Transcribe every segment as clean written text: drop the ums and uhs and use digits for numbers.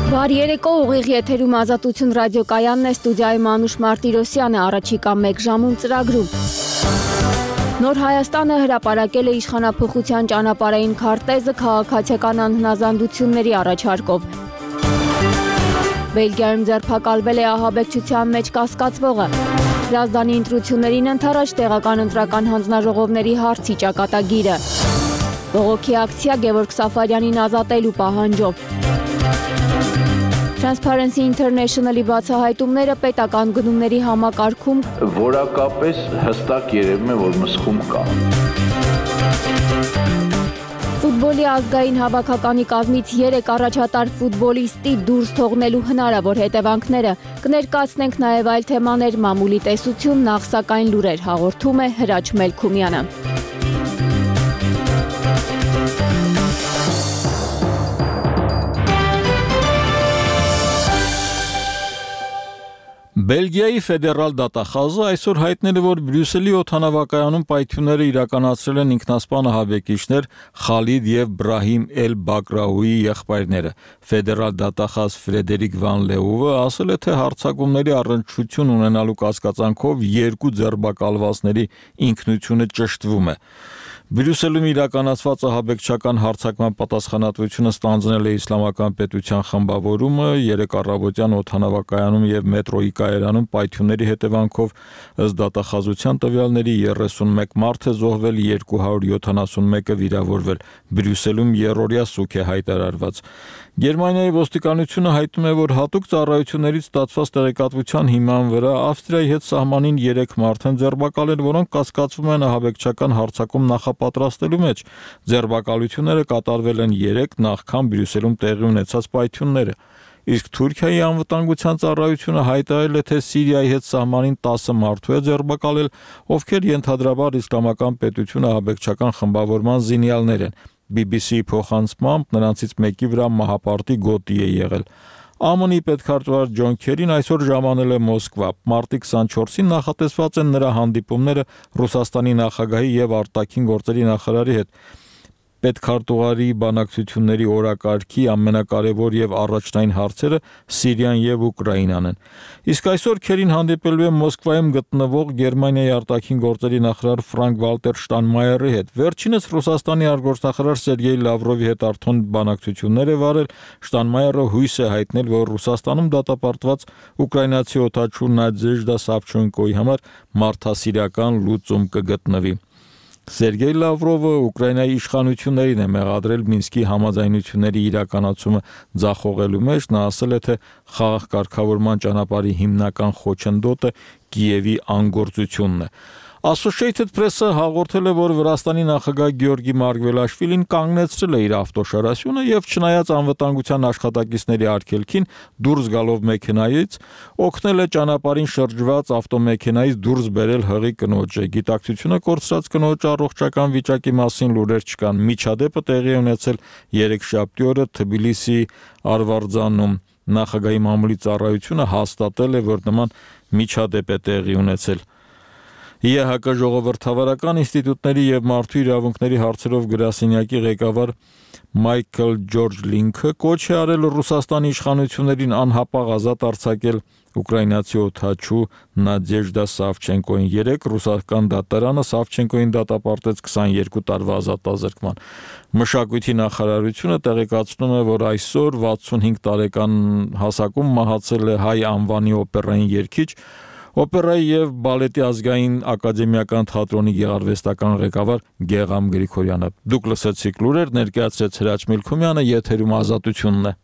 Բարի երեկո, ուղիղ եթերում Ազատություն ռադիոկայանն է, ստուդիայում Անուշ Մարտիրոսյանը, առաջիկա 1 ժամում ծրագրում։ Նոր Հայաստանը հրապարակել է իշխանափոխության ճանապարհային քարտեզը քաղաքացիական անհնազանդությունների առաջարկով։ Բելգիայում ձերբակալվել է ահաբեկչության մեջ կասկածվողը։ Հրազդանի ընտրություններին ընդառաջ տեղական ընտրական հանձնաժողովների հարցի ճակատագիրը։ Բողոքի ակցիա Գևորգ Սաֆարյանին ազատելու պահանջով։ Transparency International-ի բացահայտումները պետական գնումների համակարգում որակապես հստակ երևում է, որ մսխում կա։ Ֆուտբոլի ազգային հավաքականի կազմից 3 առաջատար ֆուտբոլիստի դուրս թողնելու հնարավոր հետևանքները կներկայացնենք նաև այլ թեմաներ, մամուլի տեսություն, նախ սակայն լուրեր հաղորդում է Հրաչ Մելքումյանը։ Բելգիայի ֆեդերալ դատախազը այսօր հայտնել է, որ Բրյուսելի օդանավակայանում պայթյունները իրականացրել են ինքնասպան ահաբեկիչներ Խալիդ եւ Բրահիմ Էլ-Բակրաուի եղբայրները։ Ֆեդերալ դատախազ Ֆրեդերիկ Վան Լեուվը ասել է, թե հարձակումների առնչություն ունենալու կասկածանքով 2 ձերբակալվածների ինքնությունը ճշտվում է։ Բրյուսելում իրականացված ահաբեկչական հարձակման պատասխանատվությունը ստանձնել է Իսլամական պետության խմբավորումը 3 առավոտյան օդանավակայանում եւ մետրոյի կայարանում պայթյունների հետևանքով ըստ դատախազության տվյալների 31 մարդ է զոհվել, 271-ը վիրավորվել։ Բրյուսելում երրորդյա սուք է հայտարարված։ Գերմանիայի ոստիկանությունը հայտնում է, որ հատուկ ծառայություններից ստացված տեղեկատվության հիման վրա Ավստրիայի հետ սահմանին 3 մարդ են ձերբակալել, որոնք կասկածվում են ահաբեկչական հարձակում նախապատրաստելու մեջ։ Ձերբակալությունները կատարվել են 3 նախքան Բրյուսելում տեղի ունեցած պայթյունները։ Իսկ Թուրքիայի անվտանգության ծառայությունը հայտարարել է, թե Սիրիայի հետ սահմանին 10 մարդու է ձերբակալել, ովքեր ենթադրաբար Իսլամական պետությունը ահաբեկչական խմբավորման զինյալներ են։ BBC-ի փոխանցմամբ նրանցից մեկի վրա մահապարտի գոտի է եղել։ ԱՄՆ-ի պետքարտուղար Ջոն Քերին այսօր ժամանել է Մոսկվա։ Մարտի 24-ին նախատեսված են նրա հանդիպումները Ռուսաստանի նախագահի եւ արտաքին գործերի նախարարի հետ։ Պետքարտուղարի բանակցությունների օրակարգի ամենակարևոր եւ առաջնային հարցերը Սիրիան եւ Ուկրաինան են։ Իսկ այսօր Քերին հանդիպելու է Մոսկվայում գտնվող Գերմանիայի արտաքին գործերի նախարար Ֆրանկ Վալտեր Շտանմայերի հետ։ Վերջինս Ռուսաստանի արտգործնախարար Սերգեյ Լավրովի հետ արդեն բանակցություններ է վարել։ Շտանմայերը հույս է հայտնել, որ Ռուսաստանում դատապարտված ուկրաինացի օդաչու Նադեժդա Սավչենկոյի համար մարդասիրական լուծում կգտնվի։ Սերգեյ Լավրովը Ուկրաինայի իշխանություններին է մեղադրել Մինսկի համաձայնությունների իրականացումը ձախողելու մեջ։ Նա ասել է, թե խաղաղ կարգավորման ճանապարհի հիմնական խոչընդոտը Կիևի անգործությունն է։ Associated Press-ը հաղորդել է, որ Վրաստանի նախագահ Գեորգի Մարգվելաշվիլին կանգնեցրել է իր ավտոշարասյունը եւ չնայած անվտանգության աշխատակիցների արգելքին դուրս գալով մեքենայից օգնել է ճանապարհին շրջված ավտոմեքենայից դուրս բերել հղի կնոջը։ Գիտակցությունը կորցրած կնոջ առողջական վիճակի մասին լուրեր չկան։ Միջադեպը տեղի է ունեցել երեքշաբթի օրը Թբիլիսի Արվարձանում։ Նախագահի մամուլի ծառայությունը հաստատել է, որ նման միջադեպ է տեղի ունեցել։ ԵՀԿ ժողովրդավարական ինստիտուտների եւ մարդու իրավունքների հարցերով գրասենյակի ղեկավար Մայքլ Ջորջ Լինքը կոչ է արել Ռուսաստանի իշխանություններին անհապաղ ազատ արձակել ուկրաինացի օդաչու Նադեժդա Սավչենկոին։ 3 ռուսական դատարանը Սավչենկոին դատապարտեց 22 տարվա ազատազրկման։ Մշակույթի նախարարությունը տեղեկացնում է, որ այսօր 65 տարեկան հասակում մահացել է հայ անվանի օպերային երգիչ, Օպերայի եւ բալետի ազգային ակադեմիական թատրոնի գեղարվեստական ղեկավար Գեգամ Գրիգորյանը։ Դուք լսեցիք լուրեր, ներկայացրեց Հրաչ Մելքումյանը, եթերում Ազատությունն է։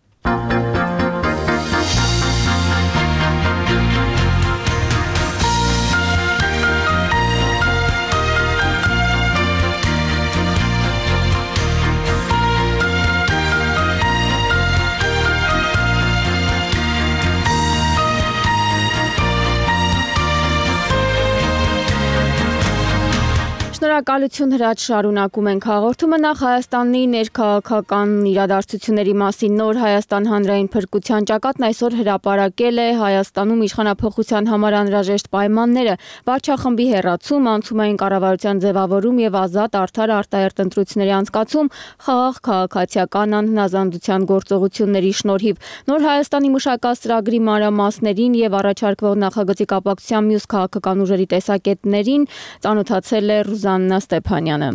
Շնորհակալություն Հրաչ, շարունակում ենք հաղորդումը։ Նախ Հայաստանի ներքաղաքական իրադարձությունների մասին Նոր Հայաստան հանրային փրկության ճակատն այսօր հրապարակել է Հայաստանում իշխանափոխության համար անհրաժեշտ պայմանները, վարչախմբի հեռացում, անցումային կառավարության ձևավորում եւ ազատ արդար արտահերթ ընտրությունների անցկացում խաղաղ քաղաքացիական անհնազանդության գործողությունների շնորհիվ։ Նոր Հայաստանի մշակած ծրագրի մանրամասներին եւ առաջարկվող նախագծի կապակցությամբ մյուս քաղաքական ուժերի տեսակետներին ծանոթացել է Ռուզաննա Ստեփանյանը։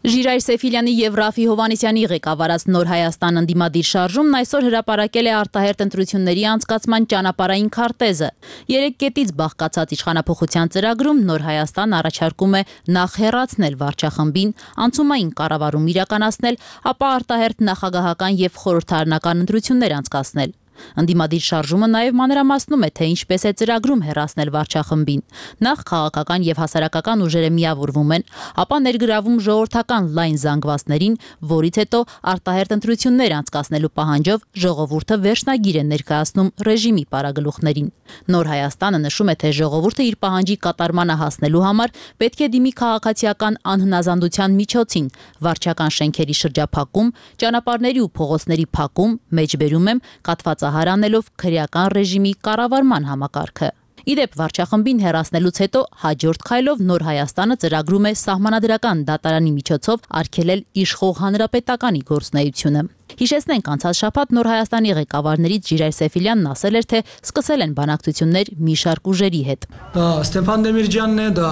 Ժիրայր Սեֆիլյանի եւ Ռաֆի Հովանեսյանի ղեկավարած Նոր Հայաստան ընդդիմադիր շարժումն այսօր հրապարակել է արտահերթ ընտրությունների անցկացման ճանապարհային քարտեզը։ 3 կետից բաղկացած իշխանափոխության ծրագրում Նոր Հայաստան առաջարկում է նախ հեռացնել վարչախմբին, անցումային կառավարում իրականացնել, ապա արտահերթ նախագահական եւ խորհրդարանական ընտրություններ անցկացնել։ Ընդդիմադիր շարժումը նաև մանրամասնում է, թե ինչպես է ծրագրում հեռացնել վարչախմբին։ Նախ քաղաքական եւ հասարակական ուժերը միավորվում են, ապա ներգրավում ժողովրդական լայն զանգվածներին, որից հետո արտահերթ ընտրություններ անցկացնելու պահանջով ժողովուրդը վերջնագիր է ներկայացնում ռեժիմի պարագլուխներին։ Նոր Հայաստանը նշում է, թե ժողովուրդը իր պահանջի կատարմանը հասնելու համար պետք է դիմի քաղաքացիական անհնազանդության միջոցին, վարչական շենքերի շրջափակում, ճանապարհների ու փողոցների փակում, մեջբերում եմ կաթվածահար անելով քրեական ռեժիմի կառավարման համակարգը։ Իդեպ վարչախմբին հեռացնելուց հետո հաջորդ քայլով Նոր Հայաստանը ծրագրում է սահմանադրական դատարանի միջոցով արգելել իշխող հանրապետականի գործունեությունը։ Հիշեցնենք, անցած շաբաթ Նոր Հայաստանի ղեկավարներից Ժիրայր Սեֆիլյանն ասել էր, թե սկսել են բանակցություններ մի շարք ուժերի հետ։ Դա Ստեփան Դեմիրճյանն է, դա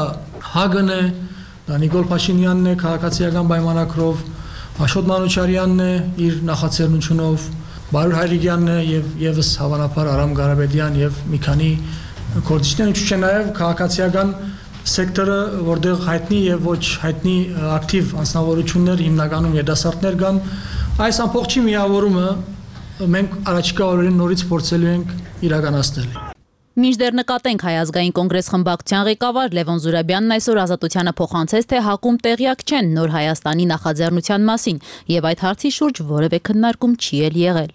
ՀԱԳ-ն է, դա Նիկոլ Փաշինյանն է քաղաքացիական պայմանագրով, Աշոտ Մանուչարյանն է իր նախաձեռնությունով, Բարուր Հայրիկյանն է եւ եւս հավանաբար Արամ Ղարաբեդյան եւ մի քանի գործիչներ, ինչու՞ չէ նաեւ քաղաքացիական սեկտորը, որտեղ հայտնի եւ ոչ հայտնի ակտիվ անձնավորություններ, հիմնականում երիտասարդներ կան, այս ամբողջի միավորումը մենք առաջիկա օրերին նորից փորձելու ենք իրականացնել։ Մինչդեռ նկատենք Հայ ազգային կոնգրես խմբակցության ղեկավար Լևոն Զուրաբյանն այսօր Ազատությանը փոխանցեց, թե ՀԱԿ-ում տեղյակ չեն Նոր Հայաստանի նախաձեռնության մասին եւ այդ հարցի շուրջ որևէ քննարկում չի եղել։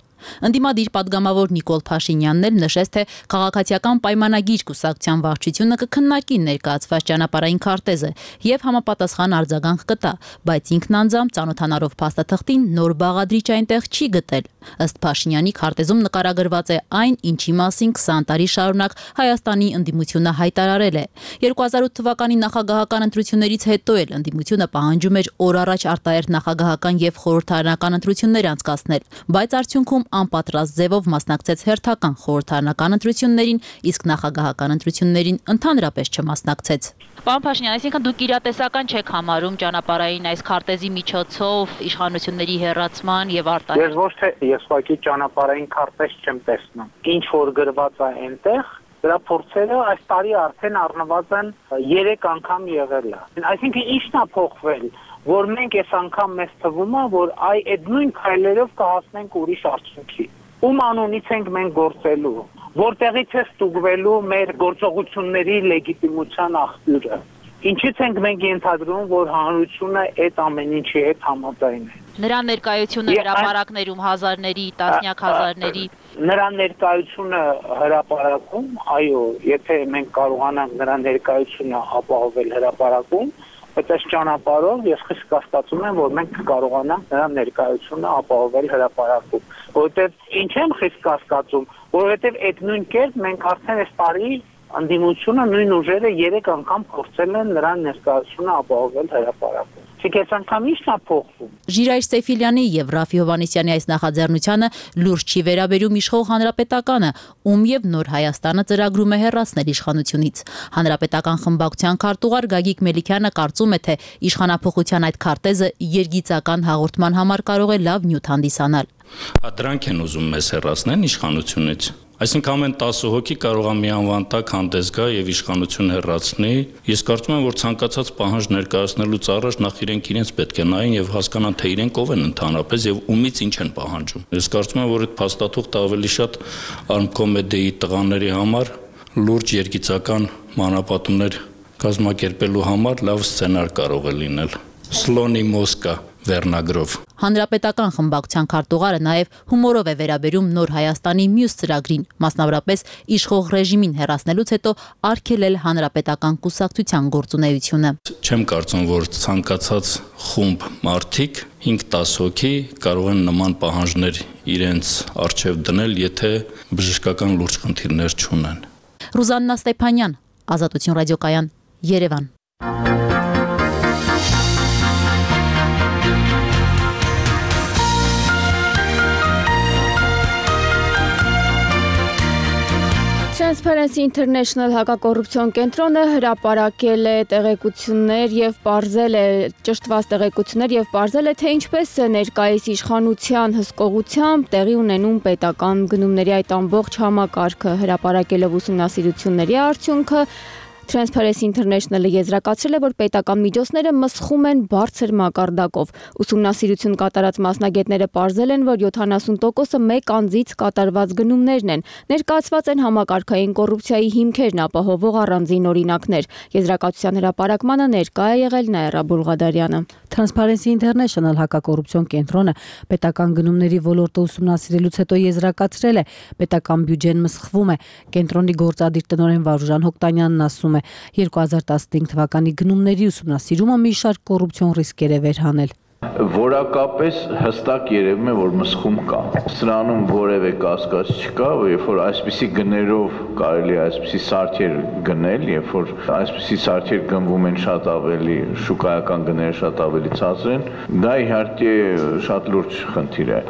Ընդդիմադիր падգամավոր Նիկոլ Փաշինյանն էլ նշեց, թե քաղաքացիական պայմանագիր կուսակցության վարչությունը կքննարկի ներկայացված ճանապարհային քարտեզը եւ համապատասխան արձագանք կտա, բայց ինքն անձամբ ծանոթանալով փաստաթղթին նոր բաղադրիչ այնտեղ չի գտել։ Ըստ Փաշինյանի քարտեզում նկարագրված է այն, ինչի մասին 20 տարի շարունակ Հայաստանի ընդդիմությունը հայտարարել է։ 2008 թվականի նախագահական ընտրություններից հետո էլ ընդդիմությունը պահանջում էր օր առաջ արտահերթ նախագահական եւ խորհրդարանական ընտրություններ անցկացնել, բայց արդյունքում անպատրաստ ձևով մասնակցեց հերթական խորհրդարանական ընտրություններին, իսկ նախագահական ընտրություններին ընդհանրապես չմասնակցեց։ Պարոն Փաշինյան, այսինքն դուք իրատեսական չեք համարում ճանապարհային այս քարտեզի միջոցով իշխանությունների հեռացման եւ արտահերթ։ Ես ոչ թե ես ուղղակի ճանապարհային քարտեզ չեմ տեսնում։ Ինչ որ գրված է այնտեղ, դրա փորձերը այս տարի արդեն առնվազն 3 անգամ եղել է։ Այսինքն ի՞նչն է փոխվել, որ մենք այս անգամ մեզ թվում է, որ այդ նույն քայլերով կհասնենք ուրիշ արդյունքի։ Ում անունից ենք մենք գործելու, որտեղից է ստուգվելու մեր գործողությունների լեգիտիմության աղբյուրը։ Ինչից ենք մենք ենթադրում, որ հանրությունը այդ ամեն ինչի հետ համաձայն է։ Նրա ներկայությունը հրապարակներում հազարների, տասնյակ հազարների։ Նրա ներկայությունը հրապարակում, այո, եթե մենք կարողանանք նրա ներկայությունը ապահովել հրապարակում, բայց այս ճանապարհով ես խիստ կասկածում եմ, որ մենք կկարողանանք նրա ներկայությունը ապահովել հրապարակում։ Որովհետև ինչ եմ խիստ կասկածում, որովհետև այդ նույն կերպ մենք արդեն այս տարի ընդդիմությունը նույն ուժերը 3 անգամ փորձել են նրա ներկայությունը ապահովել հրապարակում։ Այս անգամ ի՞նչն է փոխվում։ Ժիրայր Սեֆիլյանի եւ Ռաֆի Հովանեսյանի այս նախաձեռնությանը լուրջ չի վերաբերում իշխող հանրապետականը, ում եւ Նոր Հայաստանը ծրագրում է հեռացնել իշխանությունից։ Հանրապետական խմբակցության քարտուղար Գագիկ Մելիքյանը կարծում է, թե իշխանափոխության այդ քարտեզը երգիծական հաղորդման համար կարող է լավ նյութ հանդիսանալ։ Դրանք են ուզում մեզ հեռացնեն իշխանությունից։ Այսինքն ամեն 10 հոգի կարող է մի անվան տակ հանդես գա եւ իշխանություն հեռացնի։ Ես կարծում եմ, որ ցանկացած պահանջ ներկայացնելուց առաջ նախ իրենց պետք է նայեն եւ հասկանան, թե իրենք ով են ընդհանրապես եւ ումից ինչ են պահանջում։ Ես կարծում եմ, որ այդ փաստաթուղթը ավելի շատ արմկոմեդիայի տղաների համար լուրջ երգիծական մանրապատումներ կազմակերպելու համար լավ սցենար կարող է լինել։ Սլոնի մոսկա վերնագրով։ Հանրապետական խմբակցության քարտուղարը նաև հումորով է վերաբերում Նոր Հայաստանի մյուս ծրագրին, մասնավորապես իշխող ռեժիմին հեռացնելուց հետո արգելել հանրապետական կուսակցության գործունեությունը։ Չեմ կարծում, որ ցանկացած խումբ մարդիկ 5-10 հոգի կարող են նման պահանջներ իրենց առջև դնել, եթե բժշկական լուրջ խնդիրներ չունեն։ Ռուզաննա Ստեփանյան, Ազատություն ռադիոկայան, Երևան։ Transparency International հակակոռուպցիոն կենտրոնը հրապարակել է տեղեկություններ եւ պարզել է ճշտված տեղեկություններ եւ պարզել է թե ինչպես է ներկայիս իշխանության հսկողությամբ տեղի ունենում պետական գնումների այդ ամբողջ համակարգը հրապարակելով ուսումնասիրությունների արդյունքը Transparency International-ը եզրակացրել է, որ պետական միջոցները մսխում են բարձր մակարդակով։ Ուսումնասիրություն կատարած մասնագետները պարզել են, որ 70%-ը մեկ անձից կատարված գնումներն են։ Ներկայացված են համակարգային կոռուպցիայի հիմքերն ապահովող առանձին օրինակներ։ Եզրակացության հրապարակմանը ներկա է եղել Նաիրա Բուլղադարյանը։ Transparency International հակակոռուպցիոն կենտրոնը պետական գնումների ոլորտը ուսումնասիրելուց հետո եզրակացրել է, պետական բյուջեն մսխվում է։ Կենտրոնի գործադիր տնօրեն Վարուժան Հոկտանյանն ասում 2015 թվականի գնումների ուսումնասիրումը մի շարք կոռուպցիոն ռիսկեր է վերհանել։ Որակապես հստակ երևում է, որ մսխում կա։ Սրանում որևէ կասկած չկա, երբ որ այսպիսի գներով կարելի է այսպիսի սարքեր գնել, երբ որ այսպիսի սարքեր գնվում են շատ ավելի, շուկայական գները շատ ավելի ցածր են, դա իհարկե շատ լուրջ խնդիր է։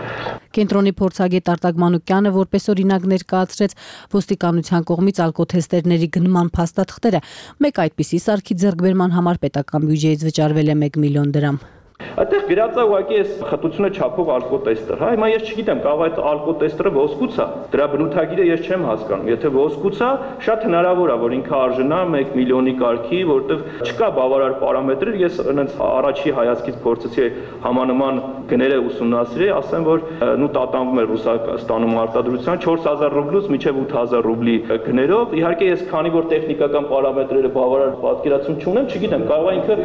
Կենտրոնի փորձագետ Արտակ Մանուկյանը որպես օրինակ ներկայացրեց ոստիկանության կողմից ալկոթեստերների գնման փաստաթղթերը։ Մեկ այդպիսի սարքի ձեռքբերման համար պետական բյուջեից վճարվել է 1 միլիոն դրամ։ Այդտեղ գրած է ուղղակի այս խտությունը չափող ալկոտեստեր, հա, հիմա ես չգիտեմ, կարող է այդ ալկոտեստերը ոսկուց է, դրա բնութագիրը ես չեմ հասկանում, եթե ոսկուց է, շատ հնարավոր է, որ ինքը արժանա 1 միլիոնի կարգի, որտեղ չկա բավարար պարամետրեր, ես այնց առաջի հայացքից փորձեցի համանման գները ուսումնասիրել, ասեմ, որ նու տատանվում է Ռուսաստանում արտադրության 4000 ռուբլուց մինչև 8000 ռուբլի գներով, իհարկե ես քանի որ տեխնիկական պարամետրերը բավարար պատկերացում չունեմ, չգիտեմ, կարող է ինքը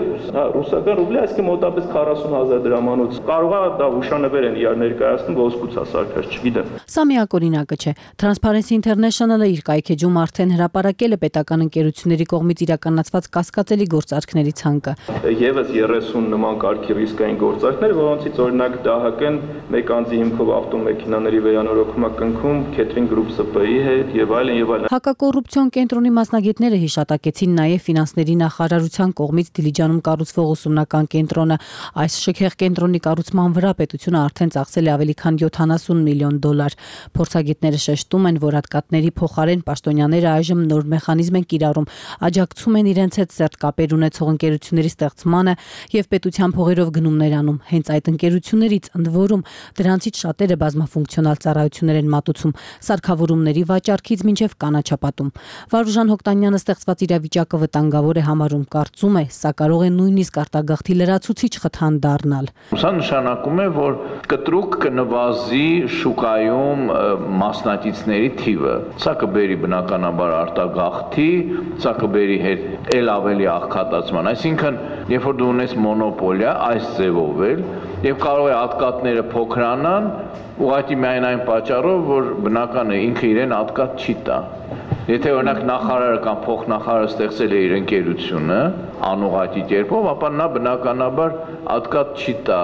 ռուսական ռուբլի, այսինքն մոտավորապես 40,000 դրամանոց կարող է դա հուշանվեր են իրար ներկայացնում ոսկուց հասարքած, չգիտեմ։ Սա միակ օրինակը չէ։ Transparency International-ը իր կայքեջում արդեն հրապարակել է պետական ընկերությունների կողմից իրականացված կասկածելի գործարքների ցանկը։ Եվս 30 նման կարգի ռիսկային գործարքներ, որոնցից օրինակ ԴՀԿ-ն մեկ անձի հիմքով ավտոմեքենաների վերանորոգում է կնքում Catering Group ՍՊ-ի հետ եւ այլն եւ այլն։ Հակակոռուպցիոն կենտրոնի մասնագետները հիշատակեցին նաև ֆինանսների նախարարության կողմից Դիլիջանում կառուցվող ուսումնական կենտրոնը։ Այս շքեղ կենտրոնի կառուցման վրա պետությունը արդեն ծախսել է ավելի քան 70 միլիոն դոլար։ Փորձագետները շեշտում են, որ հատկատների փոխարեն պաշտոնյաները այժմ նոր մեխանիզմ են կիրառում, աջակցում են իրենց հետ սերտ կապեր ունեցող ընկերությունների ստեղծմանը եւ պետության փողերով գնումներ անում։ Հենց այդ ընկերություններից ընդ որում դրանցից շատերը բազմաֆունկցիոնալ ծառայություններ են մատուցում, սարքավորումների վաճառքից մինչև կանաչապատում։ Վարուժան Հոկտանյանը ստեղծված իրավիճակը վտանգավոր է համարում, կարծում է, սա կարող է նույնիսկ արտագաղթի լրացուցիչ խթան դառնալ։ Սա նշանակում է, որ կտրուկ կնվազի շուկայում մասնակիցների թիվը։ Սա կբերի բնականաբար արտագաղթի, սա կբերի հետ ել ավելի աղքատացման։ Այսինքն, երբ որ դու ունես մոնոպոլիա այս ձևով էլ, եւ կարող է ատկատները փոքրանան, ուղղակի միայն այն պատճառով, որ բնական է ինքը իրեն ատկատ չի տա։ Եթե օրինակ նախարարը կամ փոխնախարարը ստեղծել է իր ընկերությունը անուղղակի կերպով, ապա նա բնականաբար ատկատ չի տա։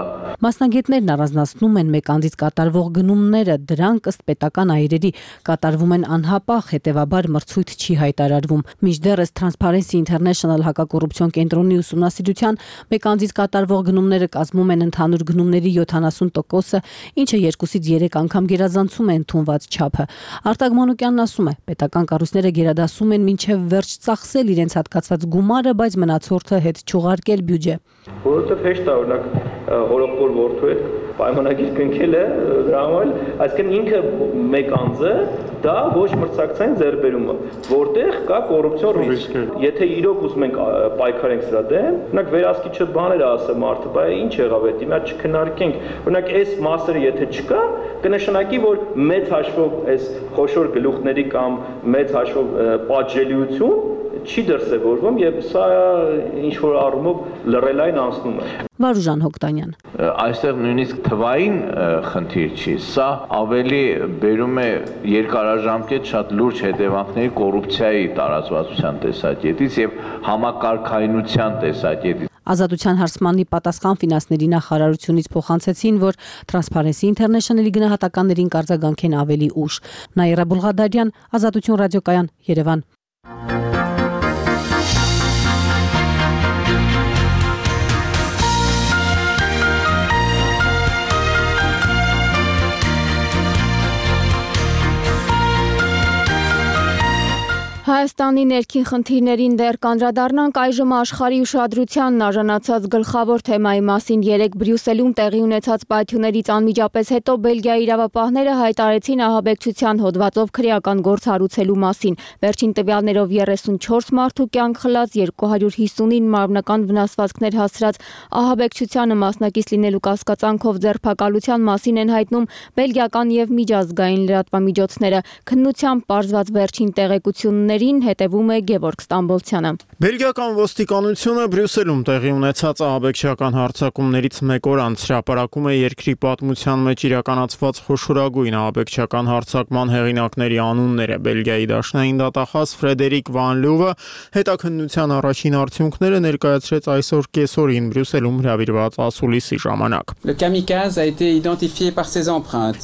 Մասնագետներն առանձնացնում են մեկ անձից կատարվող գնումները, դրանք ըստ պետական այրերի կատարվում են անհապաղ, հետևաբար մրցույթ չի հայտարարվում։ Մինչդեռ Transparency International հակակոռուպցիոն կենտրոնի ուսումնասիրության մեկ անձից կատարվող գնումները կազմում են ընդհանուր գնումների 70%-ը, ինչը 2-ից 3 անգամ գերազանցում է ընդունված չափը։ Արտակ Մանուկյանն ասում է, պետական կառույցները գերադասում են մինչև վերջ ծախսել իրենց հատկացված գումարը, բայց մնացորդը հետ չուղարկել բյուջե։ Որովհետև հեշտ է օրինակ հորոպոր որդու հետ պայմանագիր կնքել է դրա համար, այսինքն ինքը մեկ անձը դա ոչ մրցակցային ձեռբերումը, որտեղ կա կոռուպցիոն ռիսկ։ Եթե իրոք ուզում ենք պայքարենք սրա դեմ, օրինակ վերահսկիչը բաներ ասը մարդը, բայց ինչ եղավ այդ, հիմա չքննարկենք։ Օրինակ այս մասերը եթե չկա, կնշանակի, որ մեծ հաշվով այս խոշոր գլուխների կամ մեծ հաշվով պատժելիություն չի դրսևորվում եւ սա ինչ որ առումով լռելային անցնում է։ Վարուժան Հոկտանյան։ Այստեղ նույնիսկ թվային խնդիր չի, սա ավելի բերում է երկարաժամկետ շատ լուրջ հետևանքների կոռուպցիայի տարածվածության տեսակետից եւ համակարգայնության տեսակետից։ Ազատության հարցմանի պատասխան ֆինանսների նախարարությունից փոխանցեցին, որ Transparency International-ի գնահատականներին կարձագանքեն ավելի ուշ։ Նաիրա Բուլղադարյան, Ազատություն ռադիոկայան, Երևան։ Հայաստանի ներքին խնդիրներին դեռ կանդրադառնանք այժմ աշխարհի ուշադրությանն արժանացած գլխավոր թեմայի մասին երեկ Բրյուսելում տեղի ունեցած պայթյուններից անմիջապես հետո Բելգիայի իրավապահները հայտարարեցին ահաբեկչության հոդվածով քրեական գործ հարուցելու մասին։ Վերջին տվյալներով 34 մարդու կյանք խլած, 259 մարմնական վնասվածքներ հասցրած ահաբեկչությանը մասնակից լինելու կասկածանքով ձերբակալության մասին են հայտնում բելգիական եւ միջազգային լրատվամիջոցները։ Քննությամբ պարզված վերջին տեղեկությունները հետևում է Գևորգ Ստամբոլցյանը։ Բելգիական ոստիկանությունը Բրյուսելում տեղի ունեցած ահաբեկչական հարձակումներից մեկ օր անց հրապարակում է երկրի պատմության մեջ իրականացված խոշորագույն ահաբեկչական հարձակման հեղինակների անունները։ Բելգիայի դաշնային դատախազ Ֆրեդերիկ Վան Լյուվը հետաքննության առաջին արդյունքները ներկայացրեց այսօր կեսօրին Բրյուսելում հրավիրված ասուլիսի ժամանակ։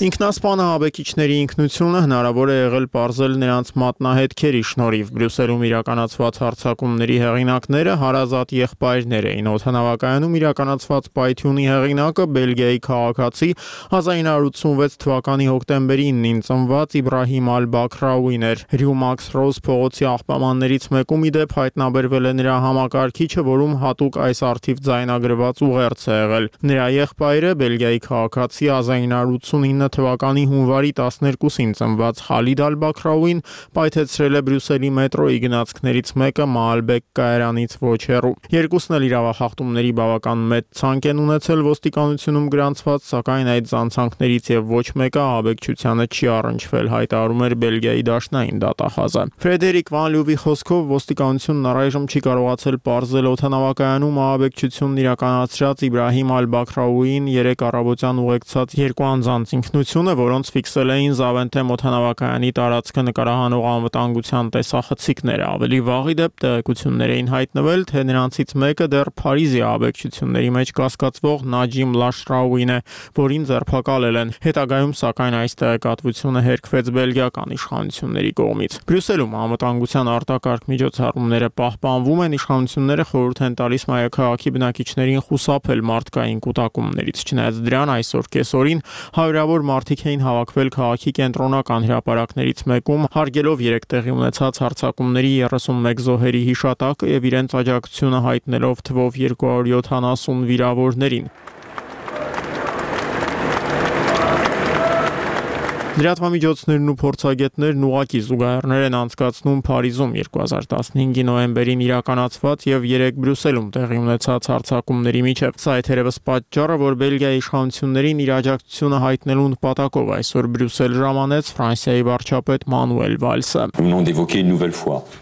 Ինքնասպան ահաբեկիչների ինքնությունը հնարավոր է եղել պարզել նրանց մատնահետքերի շնորհիվ Բրյուսելում իրականացված հարձակումների հեղինակները հարազատ եղբայրներ էին։ Օդանավակայանում իրականացված պայթյունի հեղինակը Բելգիայի քաղաքացի 1986 թվականի հոկտեմբերի 9-ին ծնված Իբրահիմ Ալ-Բաքրաուին էր։ Ռյումաքս Ռոզ փողոցի աղբամաններից մեկում ի դեպ հայտնաբերվել է նրա համակարգիչը, որում հատուկ այս արդիվ ձայնագրված ուղերձ է եղել։ Նրա եղբայրը Բելգիայի քաղաքացի 1989 թվականի հունվարի 12-ին ծնված Խալիդ Ալ-Բաքրաուին պայթեցրել է Բրյուսելի մետրոյի գնացքներից մեկը Մալբեկ կայարանից ոչ հեռու։ Երկուսն էլ իրավախախտումների բավական մեծ ցանկ են ունեցել ոստիկանությունում գրանցված, սակայն այդ ցանցանքներից եւ ոչ մեկը ահաբեկչությանը չի առնչվել, հայտարարում էր Բելգիայի դաշնային դատախազը։ Ֆրեդերիկ Վան Լյուվի խոսքով ոստիկանությունն առայժմ չի կարողացել պարզել օդանավակայանում ահաբեկչությունն իրականացրած Իբրահիմ Ալ-Բաքրաուին 3 առավոտյան ուղեկցած երկու անձանց ինքնությունը, որոնց ֆիքսել էին Զավենթեմ օդանավակայանի տարածքը նկարահանող անվտանգության տեսախցիկները։ Ավելի վաղ ի դեպ տեղեկություններ էին հայտնվել, թե նրանցից մեկը դեռ Փարիզի ահաբեկչությունների մեջ կասկածվող Նաջիմ Լաշրաուին է, որին ձերբակալել են։ Հետագայում, սակայն, այս տեղեկատվությունը հերքվեց բելգիական իշխանությունների կողմից։ Բրյուսելում անվտանգության արտակարգ միջոցառումները պահպանվում են, իշխանությունները խորհուրդ են տալիս մայրաքաղաքի բնակիչներին խուսափել մարդկային կուտակումներից։ Չնայած դրան, այսօր կեսօրին հարյուրավոր մարդիկ էին հավաքվել քաղաքի կենտրոնական հրապարակներից մեկում, հարգելով երեք տեղի ունեցած հարձակումների 31 զոհերի հիշատակը եւ իրենց աջակցությունը հայտնելով թվով 270 վիրավորներին։ Լրատվամիջոցներն ու փորձագետներն ուղղակի զուգահեռներ են անցկացնում Փարիզում 2015-ի նոյեմբերին իրականացված եւ 3 Բրյուսելում տեղի ունեցած հարձակումների միջև։ Սա է թերևս պատճառը, որ Բելգիայի իշխանություններին իր աջակցությունը հայտնելու նպատակով այսօր Բրյուսել ժամանեց Ֆրանսիայի վարչապետ Մանուել Վալսը։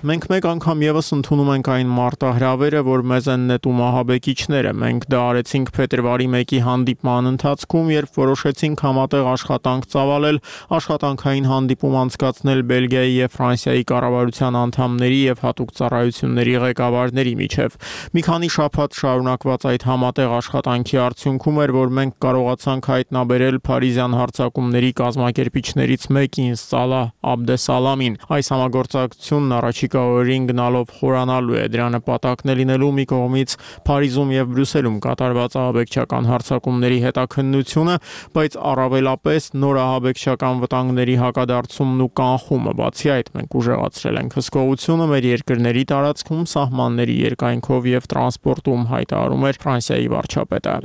Մենք մեկ անգամ եւս ընդունում ենք այն մարտահրավերը, որ մեզ են նետում ահաբեկիչները։ Մենք դա արեցինք փետրվարի 1-ի հանդիպման ընթացքում, երբ որոշեցինք համատեղ աշխատանք ծավալել, աշխատանքային հանդիպում անցկացնել Բելգիայի եւ Ֆրանսիայի կառավարության անդամների եւ հատուկ ծառայությունների ղեկավարների միջև։ Մի քանի շաբաթ շարունակված այդ համատեղ աշխատանքի արդյունքում էր, որ մենք կարողացանք հայտնաբերել Փարիզյան հարձակումների կազմակերպիչներից մեկին Սալահ Աբդեսալամին։ Այս համագործակցությունն առաջիկա օրերին գնալով խորանալու է։ Դրա նպատակն է լինելու մի կողմից Փարիզում եւ Բրյուսելում կատարված ահաբեկչական հարձակումների հետաքննությունը, բայց առավելապես նոր ահաբեկչական վտանգների հակադարձումն ու կանխումը։ Բացի այդ, մենք ուժեղացրել ենք հսկողությունը մեր երկրների տարածքում, սահմանների երկայնքով եւ տրանսպորտում, հայտարարում էր Ֆրանսիայի վարչապետը։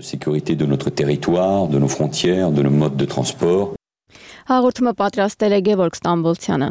Հաղորդումը պատրաստել է Գևորգ Ստամբոլցյանը։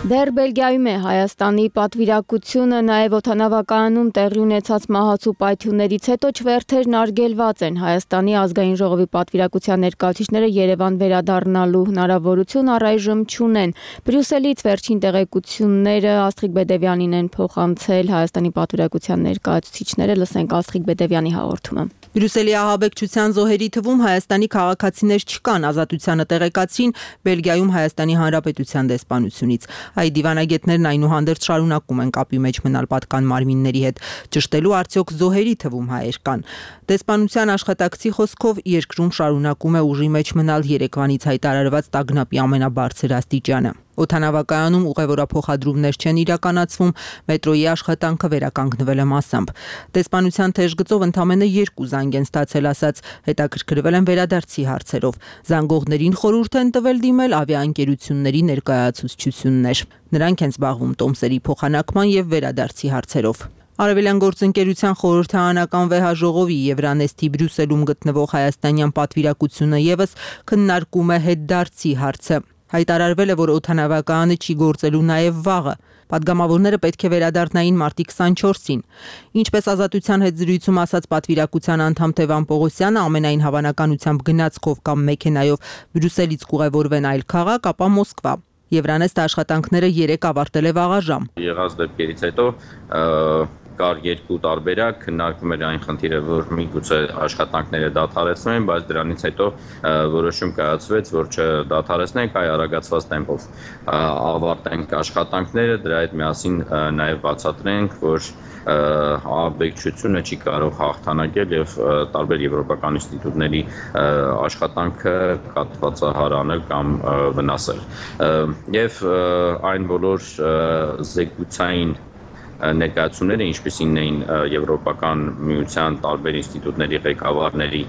Դեռ Բելգիայում է Հայաստանի պատվիրակությունը, նաև օդանավակայանում տեղի ունեցած մահացու պայթյուններից հետո չվերթերն արգելված են։ Հայաստանի ազգային ժողովի պատվիրակության ներկայացուցիչները Երևան վերադառնալու հնարավորություն առայժմ չունեն։ Բրյուսելից վերջին տեղեկությունները Աստղիկ Բեդևյանին են փոխանցել Հայաստանի պատվիրակության ներկայացուցիչները, լսենք Աստղիկ Բեդևյանի հաղորդումը։ Բրյուսելի ահաբեկչության զոհերի թվում Հայաստանի քաղաքացիներ չկան, ազատությանը տեղեկացրին Բելգիայում Հայաստանի Հանրապետության դեսպանությունից։ Այդ դիվանագետներն այնուհանդերձ շարունակում են կապի մեջ մնալ պատկան մարմինների հետ, ճշտելու արդյոք զոհերի թվում հայեր կան։ Դեսպանության աշխատակցի խոսքով երկրում շարունակում է ուժի մեջ մնալ երեկվանից հայտարարված տագնապի ամենաբարձր աստիճանը։ Օդանավակայանում ուղևորափոխադրումներ չեն իրականացվում, մետրոյի աշխատանքը վերականգնվել է մասամբ։ Դեսպանության թեժ գծով ընդամենը 2 զանգ են ստացել, ասած հետաքրքրվել են վերադարձի հարցերով։ Զանգողներին խորհուրդ են տվել դիմել ավիաընկերությունների ներկայացուցչություններ։ Նրանք են զբաղվում տոմսերի փոխանակման եւ վերադարձի հարցերով։ Արևելյան գործընկերության խորհրդարանական վեհաժողովի Եվրանեստի Բրյուսելում գտնվող հայաստանյան պատվիրակությունը եւս քննարկում է հետդարձի հարցը։ Հայտարարվել է, որ օդանավակայանը չի գործելու նաև վաղը։ Պատգամավորները պետք է վերադառնային մարտի 24-ին։ Ինչպես Ազատության հետ զրույցում ասաց պատվիրակության անդամ Թևան Պողոսյանը, ամենայն հավանականությամբ գնացքով կամ մեքենայով Բրյուսելից կուղևորվեն այլ քաղաք, ապա Մոսկվա։ Եվրանեստը աշխատանքները 3 ավարտել է վաղաժամ։ Եղած դեպքերից հետո կար 2 տարբերակ, քննարկվում էր այն խնդիրը, որ միգուցե աշխատանքները դադարեցնեն, բայց դրանից հետո որոշում կայացվեց, որ չդադարեցնենք, այլ արագացված տեմպով ավարտենք աշխատանքները, դրա հետ միասին նաև բացատրենք, որ ահաբեկչությունը չի կարող հաղթանակել եւ տարբեր եվրոպական ինստիտուտների աշխատանքը կատվածահար կամ վնասել։ Եվ այն բոլոր զեկուցային ներկայացումները, ինչպիսին էին Եվրոպական միության տարբեր ինստիտուտների ղեկավարների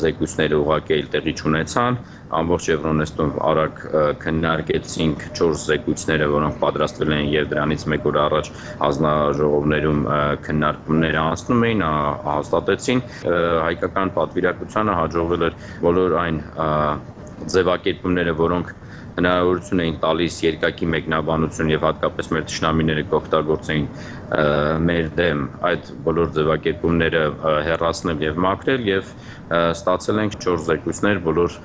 զեկույցները ուղղակի տեղի չունեցան, ամբողջ Եվրոնեստում արագ քննարկեցինք 4 զեկույցները, որոնք պատրաստվել են եւ դրանից 1 օր առաջ հանձնաժողովներում քննարկումները անցնում էին, հաստատեցին հայկական պատվիրակությանը հաջողվել էր բոլոր այն ձևակերպումները, որոնք հնարավորություն էին տալիս երկակի մեկնաբանություն եւ հատկապես մեր թշնամիները կօգտագործեին մեր դեմ այդ բոլոր ձևակերպումները հեռացնել եւ մաքրել եւ ստացել ենք 4 զեկույցներ բոլոր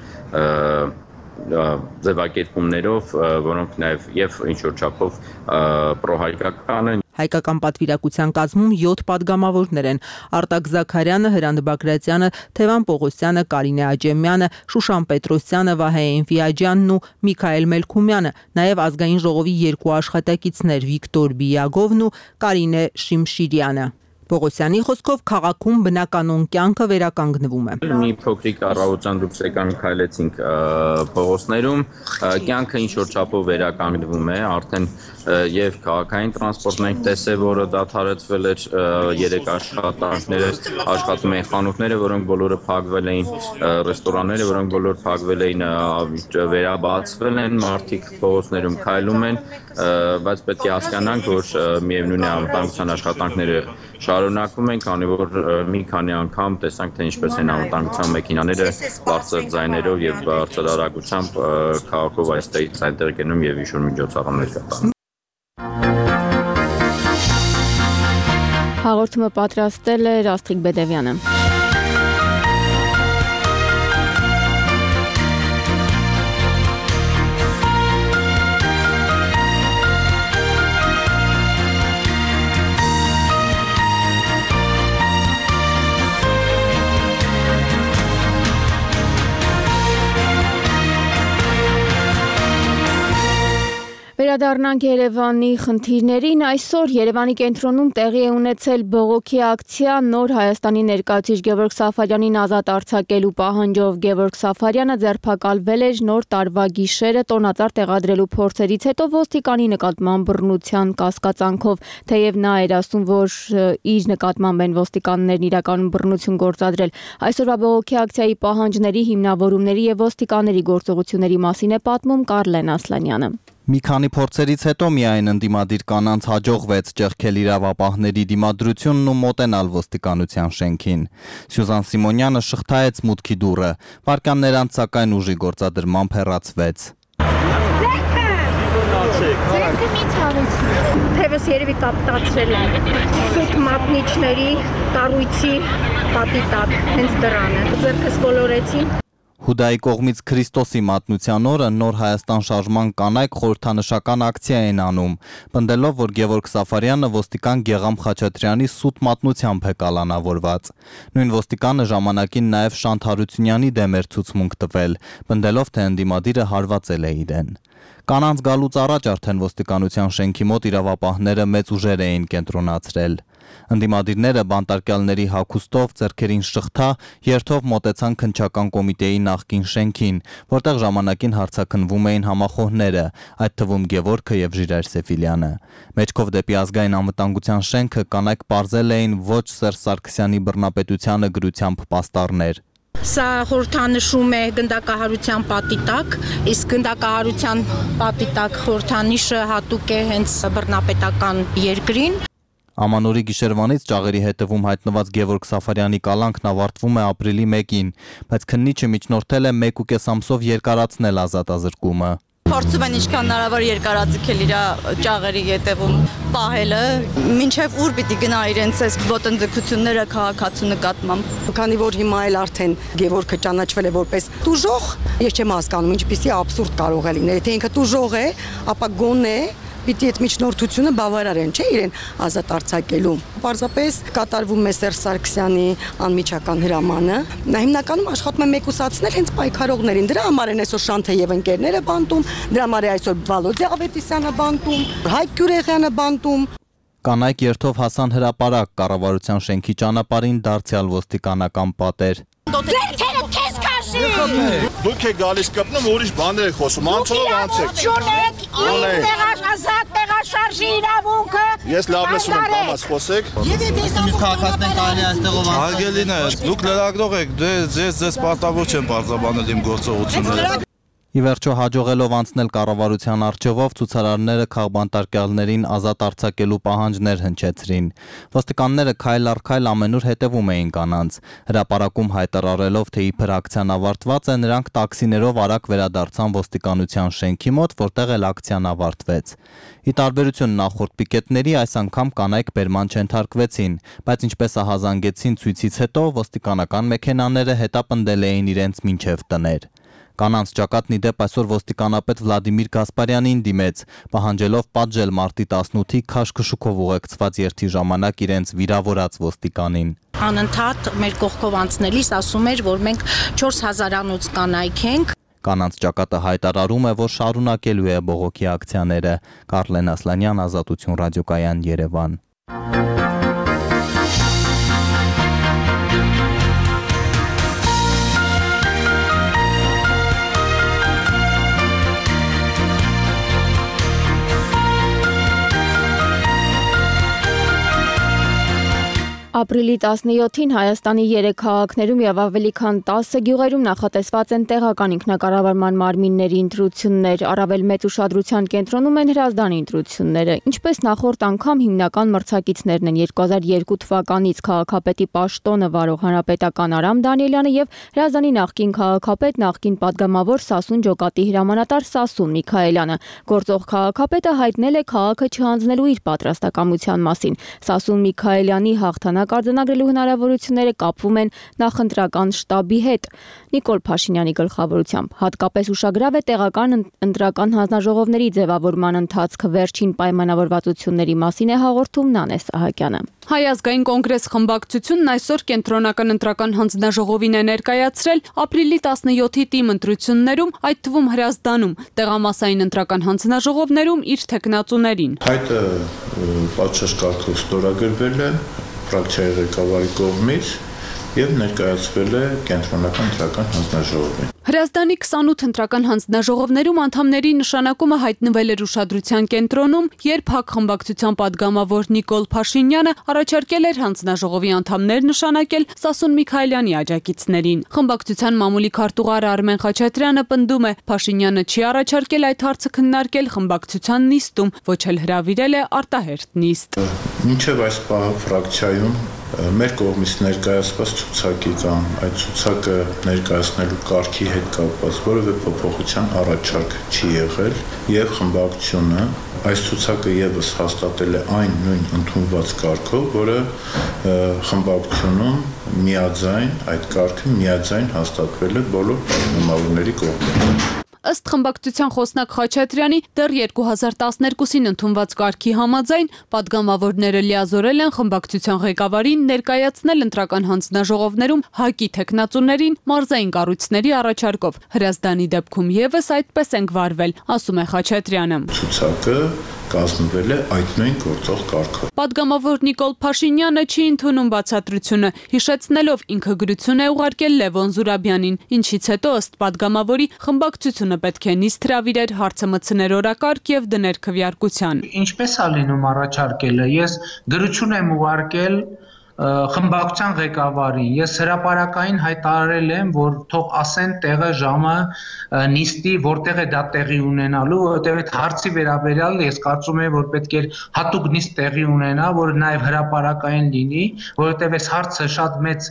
ձևակերպումներով, որոնք նաեւ եւ ինչ որ չափով պրոհայկական են։ Հայկական պատվիրակության կազմում 7 պատգամավորներ են՝ Արտակ Զաքարյանը, Հրանտ Բագրատյանը, Թևան Պողոսյանը, Կարինե Աջեմյանը, Շուշան Պետրոսյանը, Վահե Էնֆիաջյանն ու Միքայել Մելքումյանը, նաև ազգային ժողովի 2 աշխատակիցներ՝ Վիկտոր Բիագովն ու Կարինե Շիմշիրյանը։ Պողոսյանի խոսքով քաղաքում բնականոն կյանքը վերականգնվում է։ Մի փոքրիկ առավոտյան դուրս եկան քայլեցինք փողոցներում, կյանքը ինչ որ չափով վերականգնվում է, արդեն եւ քաղաքային տրանսպորտն ենք տեսել, որը դադարեցվել էր 3 աշխատանքները, աշխատում են խանութները, որոնք բոլորը փակվել էին, ռեստորանները, որոնք բոլոր փակվել էին, վերաբացվել են, մարդիկ փողոցներում քայլում են, բայց պետք է հասկանանք, որ միևնույն է անվտանգության աշխատանքները շարունակվում են, քանի որ մի քանի անգամ տեսանք, թե ինչպես են անվտանգության մեքենաները բարձր ձայներով եւ բարձր արագությամբ քաղաքով այստեղից այնտեղ գնում եւ ինչ-որ միջոցառումներ կատարում։ Հաղորդումը պատրաստել է Աստղիկ Բեդևյանը։ Վերադառնանք Երևանի խնդիրներին։ Այսօր Երևանի կենտրոնում տեղի է ունեցել բողոքի ակցիա նոր Հայաստանի ներկայացուցիչ Գևորգ Սաֆարյանին ազատ արձակելու պահանջով։ Գևորգ Սաֆարյանը ձերբակալվել էր նոր տարվա գիշերը տոնածառ տեղադրելու փորձերից հետո ոստիկանի նկատմամբ բռնության կասկածանքով, թեև նա էր ասում, որ իր նկատմամբ են ոստիկաններն իրականում բռնություն գործադրել։ Այսօրվա բողոքի ակցիայի պահանջների, հիմնավորումների եւ ոստիկանների գործողությունների մասին է պատմում Կարլեն Ասլանյանը։ Մի քանի փորձերից հետո միայն ընդդիմադիր կանանց հաջողվեց ճեղքել իրավապահների դիմադրությունն ու մոտենալ ոստիկանության շենքին։ Սյուզան Սիմոնյանը շղթայեց մուտքի դուռը, վայրկյաններ անց սակայն ուժի գործադրմամբ հեռացվեց։ Ձերքը մի ցավեցնի։ Թևս երևի կապտացրել են։ Սուտ մատնիչների կառույցի պատի տակ, հենց դրանը։ Ձերքս կոլորեցին։ Հուդայի կողմից Քրիստոսի մատնության օրը Նոր Հայաստան շարժման կանայք խորհրդանշական ակցիա են անում, պնդելով, որ Գևորգ Սաֆարյանը ոստիկան Գեգամ Խաչատրյանի սուտ մատնությամբ է կալանավորված։ Նույն ոստիկանը ժամանակին նաև Շանթ Հարությունյանի դեմ էր ցուցմունք տվել, պնդելով, թե ընդդիմադիրը հարվածել է իրեն։ Կանանց գալուց առաջ արդեն ոստիկանության շենքի մոտ իրավապահները մեծ ուժեր էին կենտրոնացրել։ Ընդդիմադիրները բանտարկյալների հագուստով ձեռքերին շղթա երթով մոտեցան քննչական կոմիտեի նախկին շենքին, որտեղ ժամանակին հարցաքննվում էին համախոհները, այդ թվում Գևորգը եւ Ժիրայր Սեֆիլյանը։ Մեջքով դեպի ազգային անվտանգության շենքը կանայք պարզել էին ոչ Սերժ Սարգսյանի բռնապետությանը գրությամբ պաստառներ։ Սա խորհրդանշում է գնդակահարության պատի տակ, իսկ գնդակահարության պատի տակ խորհրդանիշը հատուկ է հենց բռնապետական երկրին։ Ամանորի գիշերվանից ճաղերի հետևում հայտնված Գևորգ Սաֆարյանի կալանքն ավարտվում է ապրիլի 1-ին, բայց քննիչը միջնորդել է 1.5 ամսով երկարացնել ազատազրկումը։ Փորձում են ինչքան հնարավոր երկարաձգել իր ճաղերի ետևում պահելը, մինչև ուր պիտի գնա իրենց այս ոտնձգությունները քաղաքացու նկատմամբ։ Քանի որ հիմա էլ արդեն Գևորգը ճանաչվել է որպես տուժող, ես չեմ հասկանում ինչպիսի աբսուրդ կարող է լինել, եթե ինքը տուժող է, ապա գոնե պիտի այդ միջնորդությունը բավարար են, չէ՞ իրեն ազատ արձակելու։ Պարզապես կատարվում է Սերժ Սարգսյանի անմիջական հրամանը։ Նա հիմնականում աշխատում է մեկուսացնել հենց պայքարողներին։ Դրա համար են այսօր Շանթը եւ ընկերները բանտում, դրա համար է այսօր Վալոդիա Ավետիսյանը բանտում, Հայկ Գյուրեխյանը բանտում։ Կանայք երթով հասան հրապարակ, կառավարության շենքի ճանապարհին դարձյալ ոստիկանական պատեր։ Ձերքերը քեզ քաշի։ Դուք եք գալիս կպնում, ուրիշ բաներ եք խոսում, անցով անցեք։ Ազատ տեղաշարժի իրավունքը։ Ես լավ լսում եմ, կամաց խոսեք։ Իսկ քաղաքացիներ կարելի է այստեղով անցնել։ Հարգելին է, դուք լրագրող եք, ձեզ պարտավոր չեմ պարզաբանել իմ գործողությունները։ Ի վերջո հաջողելով անցնել կառավարության առջևով ցուցարարները քաղբանտարկյալներին ազատ արձակելու պահանջներ հնչեցրին։ Ոստիկանները քայլ առ քայլ ամենուր հետևում էին կանանց։ Հրապարակում հայտարարելով, թե իբր ակցիան ավարտված է, նրանք տաքսիներով արագ վերադարձան ոստիկանության շենքի մոտ, որտեղ էլ ակցիան ավարտվեց։ Ի տարբերություն նախորդ պիկետների, այս անգամ կանայք բերման չընթարկվեցին, բայց ինչպես ահազանգեցին ցույցից հետո, ոստիկանական մեքենաները հետապնդել էին իրենց մինչև տներ։ Կանանց ճակատն ի դեպ այսօր ոստիկանապետ Վլադիմիր Գասպարյանին դիմեց, պահանջելով պատժել մարտի 18-ի քաշքշուկով ուղեկցված երթի ժամանակ իրենց վիրավորած ոստիկանին։ Անընդհատ մեր կողքով անցնելիս ասում էր, որ մենք 4000-անոց կանայք ենք։ Կանանց ճակատը հայտարարում է, որ շարունակելու է բողոքի ակցիաները։ Կարլեն Ասլանյան, Ազատություն ռադիոկայան, Երևան։ Ապրիլի 17-ին Հայաստանի 3 քաղաքներում եւ ավելի քան 10 գյուղերում նախատեսված են տեղական ինքնակառավարման մարմինների ընտրություններ, առավել մեծ ուշադրության կենտրոնում են հրազդանի ընտրությունները։ Ինչպես նախորդ անգամ հիմնական մրցակիցներն են 2002 թվականից քաղաքապետի պաշտոնը վարող հանրապետական Արամ Դանիելյանը եւ հրազդանի նախկին քաղաքապետ, նախկին падգամավոր Սասուն ջոկատի հրամանատար Սասուն Միքայելյանը։ Գործող քաղաքապետը հայտնել է քաղաքը չհանձնելու իր պատրաստակամության մասին։ Սասուն Միքայելյանի հաղթանակ արձանագրելու հնարավորությունները կապվում են նախընտրական շտաբի հետ։ Նիկոլ Փաշինյանի գլխավորությամբ հատկապես ուշագրավ է տեղական ընտրական հանձնաժողովների ձևավորման ընթացքը, վերջին պայմանավորվածությունների մասին է հաղորդում Նանե Սահակյանը։ Հայ ազգային կոնգրես խմբակցությունն այսօր կենտրոնական ընտրական հանձնաժողովին է ներկայացրել ապրիլի 17-ի թիմ ընտրություններում, այդ թվում Հրազդանում, տեղամասային ընտրական հանձնաժողովներում իր թեկնածուներին։ Հայտը պատշաճ կարգով ստորագրվել է ֆրակցիայի ղեկավարի կողմից եւ ներկայացվել է կենտրոնական ընտրական հանձնաժողովին։ Հրազդանի 28 ընտրական հանձնաժողովներում անդամների նշանակումը հայտնվել էր ուշադրության կենտրոնում, երբ ՀԱԿ խմբակցության падգամավոր Նիկոլ Փաշինյանը առաջարկել էր հանձնաժողովի անդամներ նշանակել Սասուն Միքայելյանի աջակիցներին։ Խմբակցության մամուլի քարտուղար Արմեն Խաչատրյանը պնդում է, Փաշինյանը չի առաջարկել այդ հարցը քննարկել խմբակցության նիստում, ոչ էլ հրավիրել է արտահերթ նիստ։ Մինչև այս պահը ֆրակցիայում մեր կողմից ներկայացված ցուցակի կամ այդ ցուցակը ներկայացնելու կարգի հետ կապված որևէ փոփոխության առաջարկ չի եղել եւ խմբակցությունը այս ցուցակը եւս հաստատել է այն նույն ընդունված կարգով, որը խմբակցությունում միաձայն այդ կարգը միաձայն հաստատվել է բոլոր պատգամավորների կողմից։ Ըստ խմբակցության խոսնակ Խաչատրյանի դեռ 2012-ին ընդունված կարգի համաձայն պատգամավորները լիազորել են խմբակցության ղեկավարին ներկայացնել ընտրական հանձնաժողովներում ՀԱԿ-ի թեկնածուներին մարզային կառույցների առաջարկով։ Հրազդանի դեպքում եւս այդպես ենք վարվել, ասում է Խաչատրյանը։ Ցուցակը կազմվել է այդ նույն գործող կարգով։ Պատգամավոր Նիկոլ Փաշինյանը չի ընդունում բացատրությունը, հիշեցնելով ինքը գրություն է ուղարկել Լևոն Զուրաբյանին, ինչից հետո ըստ պատգամավորի խմբակցությունը պետք է նիստ հրավիրեր, հարցը մտցներ օրակարգ եւ դներ քվեարկության։ Ինչպես է լինում առաջարկելը։ Ես գրություն եմ ուղարկել խմբակցության ղեկավարին։ Ես հրապարակային հայտարարել եմ, որ թող ասեն տեղը, ժամը, նիստի, որտեղ է դա տեղի ունենալու, որտեղ այդ հարցի վերաբերյալ ես կարծում եմ, որ պետք է հատուկ նիստ տեղի ունենա, որը նաև հրապարակային լինի, որովհետև այս հարցը շատ մեծ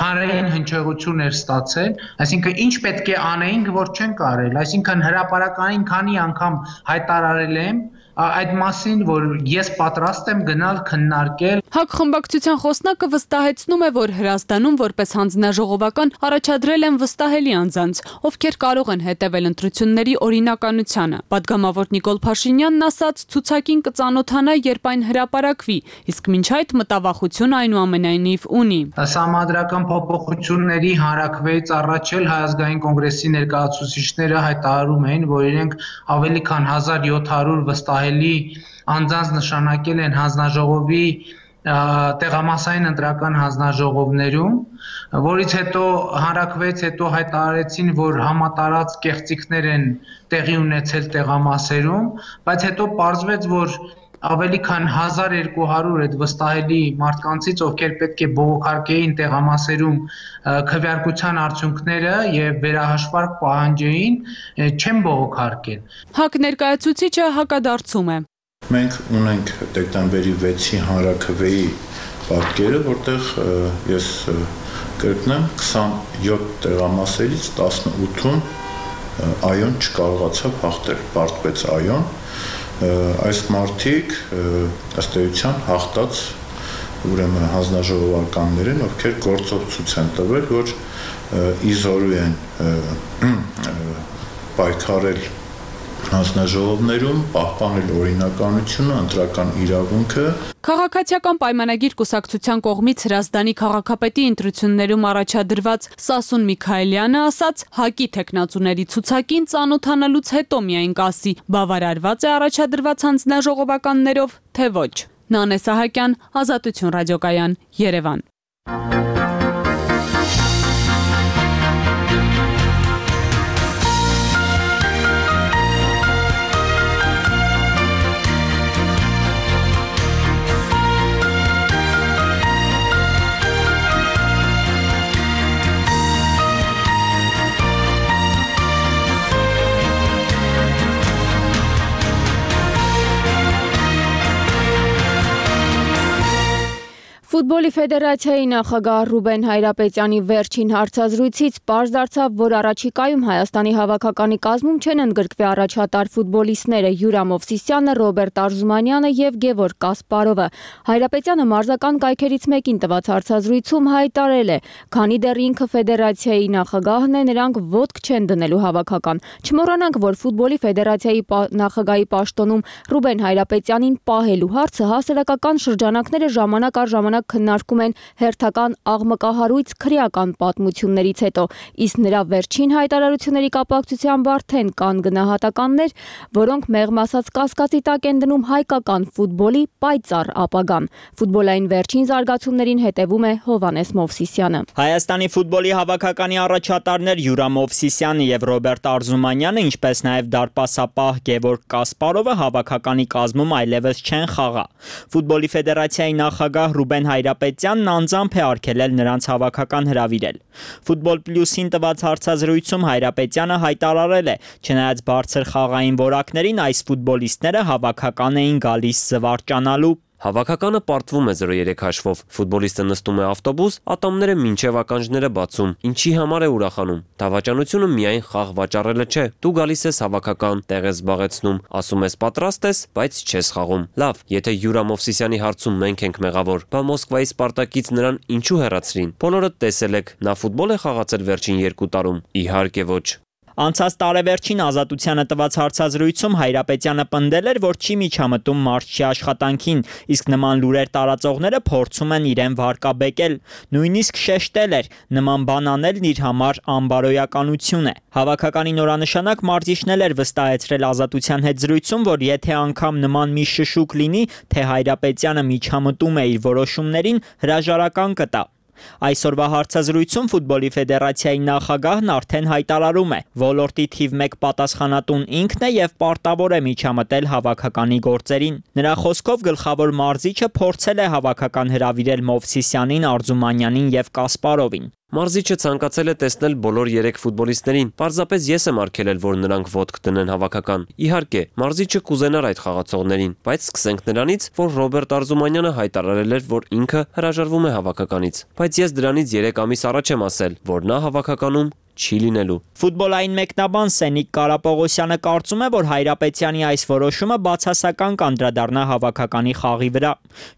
հանրային հնչեղություն էր ստացել, այսինքն ինչ պետք է անեինք, որ չենք արել, այսինքն հրապարակային քանի անգամ հայտարարել եմ այդ մասին, որ ես պատրաստ եմ գնալ քննարկել։ ՀԱԿ խմբակցության խոսնակը վստահեցնում է, որ Հրազդանում որպես հանձնաժողովական առաջադրել են վստահելի անձանց, ովքեր կարող են հետևել ընտրությունների օրինականությանը։ Պատգամավոր Նիկոլ Փաշինյանն ասաց, ցուցակին կծանոթանա, երբ այն հրապարակվի, իսկ մինչ այդ մտավախություն այնուամենայնիվ ունի։ Սահմանադրական փոփոխությունների հանրաքվեից առաջ էլ Հայ ազգային կոնգրեսի ներկայացուցիչները հայտարարում էին, որ իրենք ավելի քան 1700 վստահելի անձանց նշանակել են հանձնաժողովի տեղամասային ընտրական հանձնաժողովներում, որից հետո հանրաքվեից հետո հայտարարեցին, որ համատարած կեղծիքներ են տեղի ունեցել տեղամասերում, բայց հետո պարզվեց, որ ավելի քան 1200 այդ վստահելի մարդկանցից, ովքեր պետք է բողոքարկեին տեղամասերում քվեարկության արդյունքները եւ վերահաշվարկ պահանջեին, չեն բողոքարկել։ ՀԱԿ ներկայացուցիչը հակադարձում է։ Մենք ունենք դեկտեմբերի 6-ի հանրաքվեի պատկերը, որտեղ ես կրկնեմ 27 տեղամասերից 18-ում այոն չկարողացավ հաղթել, պարտվեց այոն։ Այս մարդիկ ըստ էության հաղթած ուրեմն հանձնաժողովականներ են, ովքեր գործով ցույց են տվել, որ իզորու են պայքարել հանձնաժողովներում, պահպանել օրինականությունը, ընտրական իրավունքը։ Քաղաքացիական պայմանագիր կուսակցության կողմից Հրազդանի քաղաքապետի ընտրություններում առաջադրված Սասուն Միքայելյանը ասաց, ՀԱԿ-ի թեկնածուների ցուցակին ծանոթանալուց հետո միայն կասի, բավարարված է առաջադրված հանձնաժողովականներով, թե ոչ։ Նանե Սահակյան, Ազատություն ռադիոկայան, Երևան։ Ֆուտբոլի ֆեդերացիայի նախագահ Ռուբեն Հայրապետյանի վերջին հարցազրույցից պարզ դարձավ, որ առաջիկայում Հայաստանի հավաքականի կազմում չեն ընդգրկվի առաջատար ֆուտբոլիստները Յուրա Մովսիսյանը, Ռոբերտ Արզումանյանը եւ Գևորգ Կասպարովը։ Հայրապետյանը մարզական կայքերից մեկին տված հարցազրույցում հայտարարել է, քանի դեռ ինքը ֆեդերացիայի նախագահն է, նրանք ոտք չեն դնելու հավաքական։ Չմոռանանք, որ ֆուտբոլի ֆեդերացիայի նախագահի պաշտոնում Ռուբեն Հայրապետյանին պահելու հարցը հասարակական շրջանակները ժամանակ առ ժամանակ քննարկում են հերթական աղմկահարույց քրեական պատմություններից հետո, իսկ նրա վերջին հայտարարությունների կապակցությամբ արդեն կան գնահատականներ, որոնք մեղմ ասած կասկածի տակ են դնում հայկական ֆուտբոլի պայծառ ապագան։ Ֆուտբոլային վերջին զարգացումներին հետևում է Հովհաննես Մովսիսյանը։ Հայաստանի ֆուտբոլի հավաքականի առաջատարներ Յուրա Մովսիսյանը եւ Ռոբերտ Արզումանյանը, ինչպես նաեւ դարպասապահ Գևորգ Կասպարովը հավաքականի կազմում այլևս չեն խաղա։ Ֆուտբոլի ֆեդերացիայի նախագահ Ռուբեն Հայրապետյանն անձամբ է արգելել նրանց հավաքական հրավիրել։ Ֆուտբոլ Պլյուսին տված հարցազրույցում Հայրապետյանը հայտարարել է, չնայած բարձր խաղային որակներին այս ֆուտբոլիստները հավաքական էին գալիս զվարճանալու։ Հավաքականը պարտվում է 0-3 հաշվով։ Ֆուտբոլիստը նստում է ավտոբուս, ատամները մինչև ականջները բացում։ Ինչի համար է ուրախանում։ Դավաճանությունը միայն խաղ վաճառելը չէ։ Դու գալիս ես հավաքական, տեղ ես զբաղեցնում, ասում ես պատրաստ ես, բայց չես խաղում։ Լավ, եթե Յուրա Մովսիսյանի հարցում մենք ենք մեղավոր, բա Մոսկվայի Սպարտակից նրան ինչու հեռացրին։ Բոլորը տեսել եք, նա ֆուտբոլ է խաղացել վերջին 2 տարում։ Իհարկե ոչ։ Անցած տարեվերջին Ազատությանը տված հարցազրույցում Հայրապետյանը պնդել էր, որ չի միջամտում մարզչի աշխատանքին, իսկ նման լուրեր տարածողները փորձում են իրեն վարկաբեկել։ Նույնիսկ շեշտել էր, նման բան անելն իր համար անբարոյականություն է։ Հավաքականի նորանշանակ մարզիչն էր վստահեցրել Ազատության հետ զրույցում, որ եթե անգամ նման մի շշուկ լինի, թե Հայրապետյանը միջամտում է իր որոշումներին, հրաժարական կտա։ Այսօրվա հարցազրույցում Ֆուտբոլի ֆեդերացիայի նախագահն արդեն հայտարարում է, ոլորտի թիվ 1 պատասխանատուն ինքն է եւ պարտավոր է միջամտել հավաքականի գործերին։ Նրա խոսքով գլխավոր մարզիչը փորձել է հավաքական հրավիրել Մովսիսյանին, Արզումանյանին եւ Կասպարովին։ Մարզիչը ցանկացել է տեսնել բոլոր 3 ֆուտբոլիստներին։ Պարզապես ես եմ արգելել, որ նրանք ոտք դնեն հավաքական։ Իհարկե, մարզիչը կուզենար այդ խաղացողներին, բայց սկսենք նրանից, որ Ռոբերտ Արզումանյանը հայտարարել էր, որ ինքը հրաժարվում է հավաքականից։ Բայց ես դրանից 3 ամիս առաջ եմ ասել, որ նա հավաքականում չի լինելու։ Ֆուտբոլային մեկնաբան Սենիկ Կարապողոսյանը կարծում է, որ Հայրապետյանի այս որոշումը բացասական կանդրադառնա հավաքականի խաղի վրա։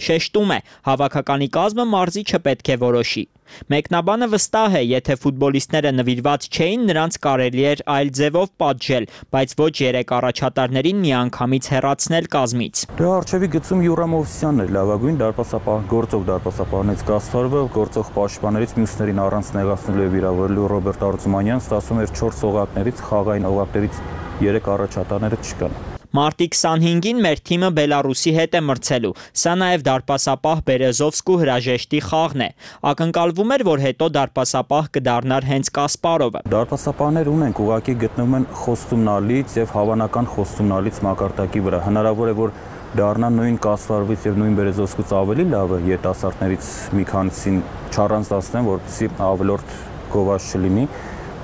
Շեշտում է, հավաքականի կազմը մարզիչը պետք է որոշի։ Մեկնաբանը վստահ է, եթե ֆուտբոլիստները նվիրված չէին, նրանց կարելի էր այլ ձևով պատժել, բայց ոչ 3 առաջատարներին միանգամից հեռացնել կազմից։ Դրա արժևի գծում Յուրա Մովսիսյանն էր լավագույն դարպասապահ, գործող դարպասապահներից Կասպարովը, գործող պաշտպաններից մյուսներին առանց նեղացնելու եւ վիրավորելու Ռոբերտ Արզումանյան, ստացվում էր 4 օղակներից, խաղային օղակներից 3 առաջատարները չկան։ Մարտի 25-ին մեր թիմը Բելարուսի հետ է մրցելու։ Սա նաև դարպասապահ Բերեզովսկու հրաժեշտի խաղն է։ Ակնկալվում էր, որ հետո դարպասապահ կդառնար հենց Կասպարովը։ Դարպասապահներ ունենք, ուղղակի գտնվում են խոստումնալից եւ հավանական խոստումնալից մակարդակի վրա։ Հնարավոր է, որ դառնան նույն Կասպարովից եւ նույն Բերեզովսկուց ավելի լավը երիտասարդներից մի քանիսին չառանձնացնեն, որպեսզի ավելորդ գովազ չլինի,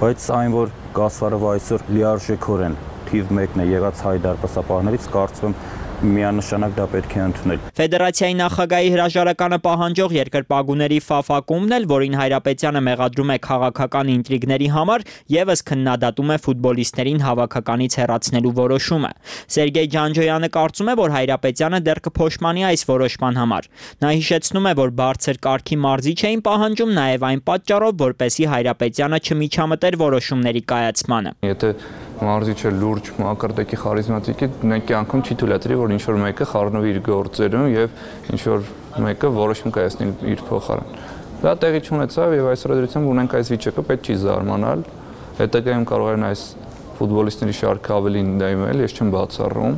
բայց այն, որ Կասպարովը այսօր լիարժեքորեն թիվ 1-ն է եղած հայ դարպասապահներից, կարծում եմ միանշանակ դա պետք է ընդունել։ Ֆեդերացիայի նախագահի հրաժարականը պահանջող երկրպագուների ֆաֆակումն էլ, որին Հայրապետյանը մեղադրում է քաղաքական ինտրիգների համար, եւս քննադատում է ֆուտբոլիստերին հավաքականից հեռացնելու որոշումը։ Սերգեյ Ջանջոյանը կարծում է, որ Հայրապետյանը դեռ կփոշմանի այս որոշման համար։ Նա հիշեցնում է, որ բարձր կարգի մարզիչ էին պահանջում նաեւ այն պատճառով, որպեսզի Հայրապետյանը չմիջամտեր որոշումների կայացմանը։ Եթե մարզիչը լուրջ մակարդակի խարիզմատիկ է, նույնքի անգամ չի թույլատրի, որ ինչ-որ մեկը խառնվի իր գործերում եւ ինչ-որ մեկը որոշում կայացնի իր փոխարեն։ Դա տեղի չունեցավ եւ այսօր դրությամբ ունենք այս վիճակը, պետք չի զարմանալ։ Հետագայում կարող են այս ֆուտբոլիստների շարքը ավելի ընդդիմել, ես չեմ բացառում։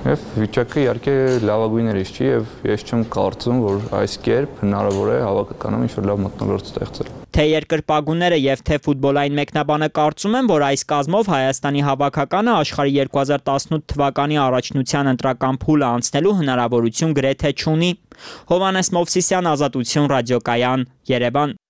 Եվ վիճակը իհարկե լավագույններից չի եւ ես չեմ կարծում, որ այս կերպ հնարավոր է հավաքականում ինչ-որ լավ մթնոլորտ ստեղծել։ Թե երկրպագուները եւ թե ֆուտբոլային մեկնաբանը կարծում են, որ այս կազմով Հայաստանի հավաքականը աշխարհի 2018 թվականի առաջնության ընտրական փուլը անցնելու հնարավորություն գրեթե չունի։ Հովհաննես Մովսիսյան, Ազատություն, ռադիոկայան, Երևան։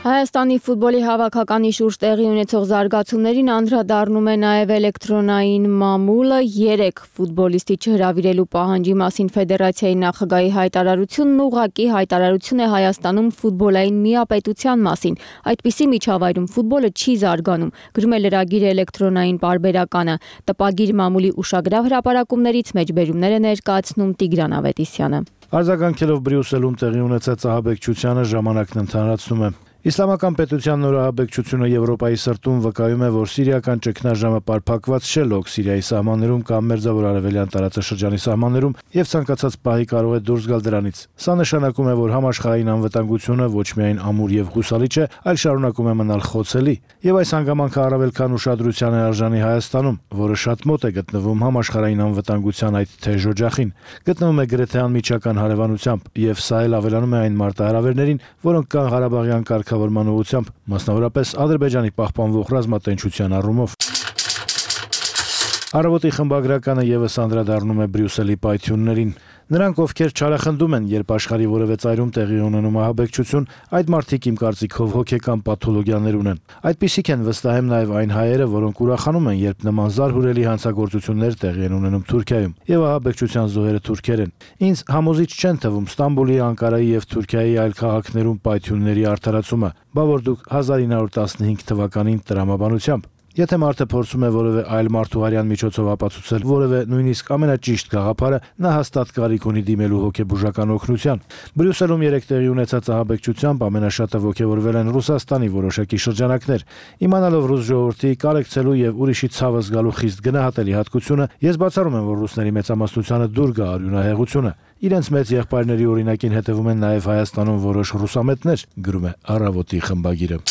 Հայաստանի ֆուտբոլի հավաքականի շուրջ տեղի ունեցող զարգացումներին անդրադառնում է նաև էլեկտրոնային մամուլը 3 ֆուտբոլիստի չհրավիրելու պահանջի մասին ֆեդերացիայի նախագահի հայտարարությունն ուղղակի հայտարարություն է Հայաստանում ֆուտբոլային միապետության մասին։ Այդպիսի միջավայրում ֆուտբոլը չի զարգանում, գրում է լրագիրը էլեկտրոնային պարբերականը։ Տպագիր մամուլի ուշագրավ հրապարակումներից մեջբերումներ է ներկայացնում Տիգրան Ավետիսյանը։ Արձագանքելով Բրյուսելում տեղի ունեցած ահաբեկչությանը ժամանակն ընդհանրացնում է։ Իսլամական պետության նոր ահաբեկչությունը Եվրոպայի սրտում վկայում է, որ սիրիական ճգնաժամը պարփակված չէ լոկ Սիրիայի սահմաններում կամ մերձավոր արևելյան տարածաշրջանի սահմաններում եւ ցանկացած պահի կարող է դուրս գալ դրանից։ Սա նշանակում է, որ համաշխարհային անվտանգությունը ոչ միայն ամուր եւ հուսալի չէ, այլ շարունակում է մնալ խոցելի։ Եվ այս հանգամանքը առավել քան ուշադրության է արժանի Հայաստանում, որը շատ մոտ է գտնվում համաշխարհային անվտանգության այդ թեժ օջախին։ Գտնվում է գրեթե անմիջական հարևանությամբ, եւ սա էլ ավելանում է այն մարտահրավերներին, որոնք կան Ղարաբաղյան կարգավորման ուղղությամբ, մասնավորապես Ադրբեջանի պահպանվող ռազմատենչության առումով։ Առավոտի խմբագրականը եւս անդրադառնում է Բրյուսելի պայթյուններին։ Նրանք, ովքեր չարախնդում են, երբ աշխարհի որևէ ծայրում տեղի ունենում ահաբեկչություն, այդ մարդիկ իմ կարծիքով հոգեկան պաթոլոգիաներ ունեն։ Այդպիսիք են վստահեմ նաև այն հայերը, որոնք ուրախանում են, երբ նման զարհուրելի հանցագործություններ տեղի են ունենում Թուրքիայում, եւ ահաբեկչության զոհերը թուրքեր են։ Ինձ համոզիչ չեն թվում Ստամբուլի, Անկարայի եւ Թուրքիայի այլ քաղաքներում պայթյունների արդարացումը, բա որ դուք 1915 թվականին տրամաբանությամբ Եթե մարդը փորձում է որևէ այլ մարդու արյան միջոցով ապացուցել որևէ նույնիսկ ամենաճիշտ գաղափարը, նա հաստատ կարիք ունի դիմելու հոգեբուժական օգնության։ Բրյուսելում 3 տեղի ունեցած ահաբեկչությամբ ամենաշատը ոգևորվել են Ռուսաստանի որոշակի շրջանակներ։ Իմանալով ռուս ժողովրդի կարեկցելու եւ ուրիշի ցավը զգալու խիստ գնահատելի հատկությունը, ես բացառում եմ, որ ռուսների մեծամասնությանը դուր գա արյունահեղությունը։ Իրենց մեծ եղբայրների օրինակին հետևում են նաև Հայաստանում որոշ ռուսամետներ, գրում է Առավոտի խմբագիրը։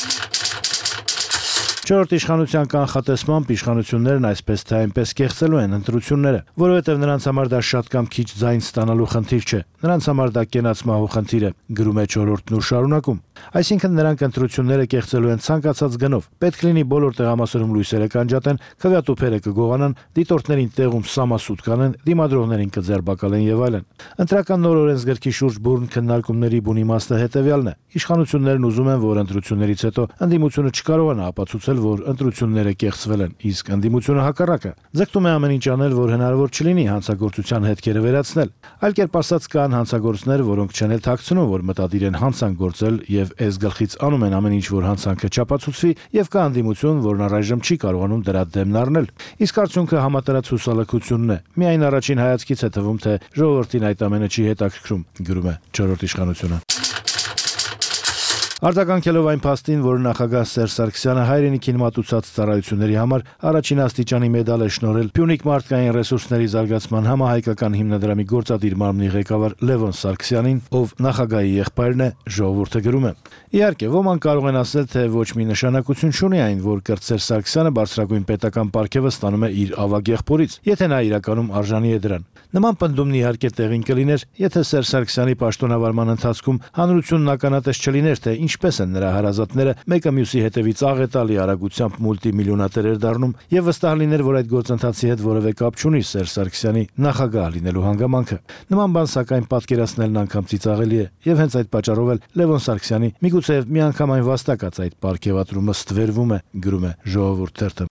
Չորրորդ իշխանության կանխատեսմամբ իշխանություններն այսպես թե այնպես կեղծելու են ընտրությունները, որովհետև նրանց համար դա շատ կամ քիչ ձայն ստանալու խնդիր չէ։ Նրանց համար դա կենաց մահու խնդիր է, գրում է Չորրորդն ու շարունակում։ Այսինքն նրանք ընտրությունները կեղծելու են ցանկացած գնով։ Պետք լինի բոլոր տեղամասերում լույսերը կանջատեն, քվեատուփերը կգողանան, դիտորդներին տեղում սամասուտ կանեն, դիմադրողներին կձերբակալեն եւ այլն։ Ընտրական նոր օրենսգրքի շուրջ բուրն քննարկումների բուն իմաստը հետեւյալն է։ Իշխանություններն ուզում են, որ ընտրություններից հետո ընդդիմությունը չկարողանա ապացուցել, որ ընտրությունները կեղծվել են, իսկ ընդդիմությունը հակառակը ձգտում է ամեն ինչ անել, որ հնարավոր չլինի հանցագործության հետքերը վերացնել։ Այլ կերպ ասած, կան հանցագործներ, որոնք չեն էլ թաքցնում, որ մտադիր են հանցանք գործել եւ այս գլխից անում են ամեն ինչ, որ հանցանքը չապացուցվի, եւ կա ընդդիմություն, որն առայժմ չի կարողանում դրա դեմն առնել։ Իսկ արդյունքը համատարած հուսալքությունն է։ Միայն առաջին հայացքից է թվում, թե ժողովրդին այդ ամենը չի հետաքրքրում, գրում է Չորրորդ իշխանությունը։ Արձագանքելով այն փաստին, որ նախագահ Սերժ Սարգսյանը հայրենիքին մատուցած ծառայությունների համար առաջին աստիճանի մեդալ է շնորհել Փյունիկ մարդկային ռեսուրսների զարգացման համահայկական հիմնադրամի գործադիր մարմնի ղեկավար Լևոն Սարգսյանին, ով նախագահի եղբայրն է, ժողովուրդը գրում է. Իհարկե, ոմանք կարող են ասել, թե ոչ մի նշանակություն չունի այն, որ Կրտսեր Սարգսյանը բարձրագույն պետական պարգևը ստանում է իր ավագ եղբորից, եթե նա իրականում արժանի է դրան։ Նման պնդումն իհարկե տեղին կլիներ, եթե Սերժ Սարգսյանի պաշտոնավարման ընթացքում հանրությունն ականատես չլիներ, թե ինչպես են նրա հարազատները մեկը մյուսի հետևից աղետալի արագությամբ մուլտիմիլիոնատերեր դառնում, եւ վստահ լիներ, որ այդ գործընթացի հետ որևէ կապ չունի Սերժ Սարգսյանի նախագահ լինելու հանգամանքը։ Նման բան սակայն պատկերացնելն անգամ ծիծաղելի է, եւ հենց այդ պատճառով էլ Լևոն Սարգսյանի միգուցե միանգամայն վաստակած այդ պարգևատրումը ստվերվում է, գրում է Ժողովուրդ թերթը։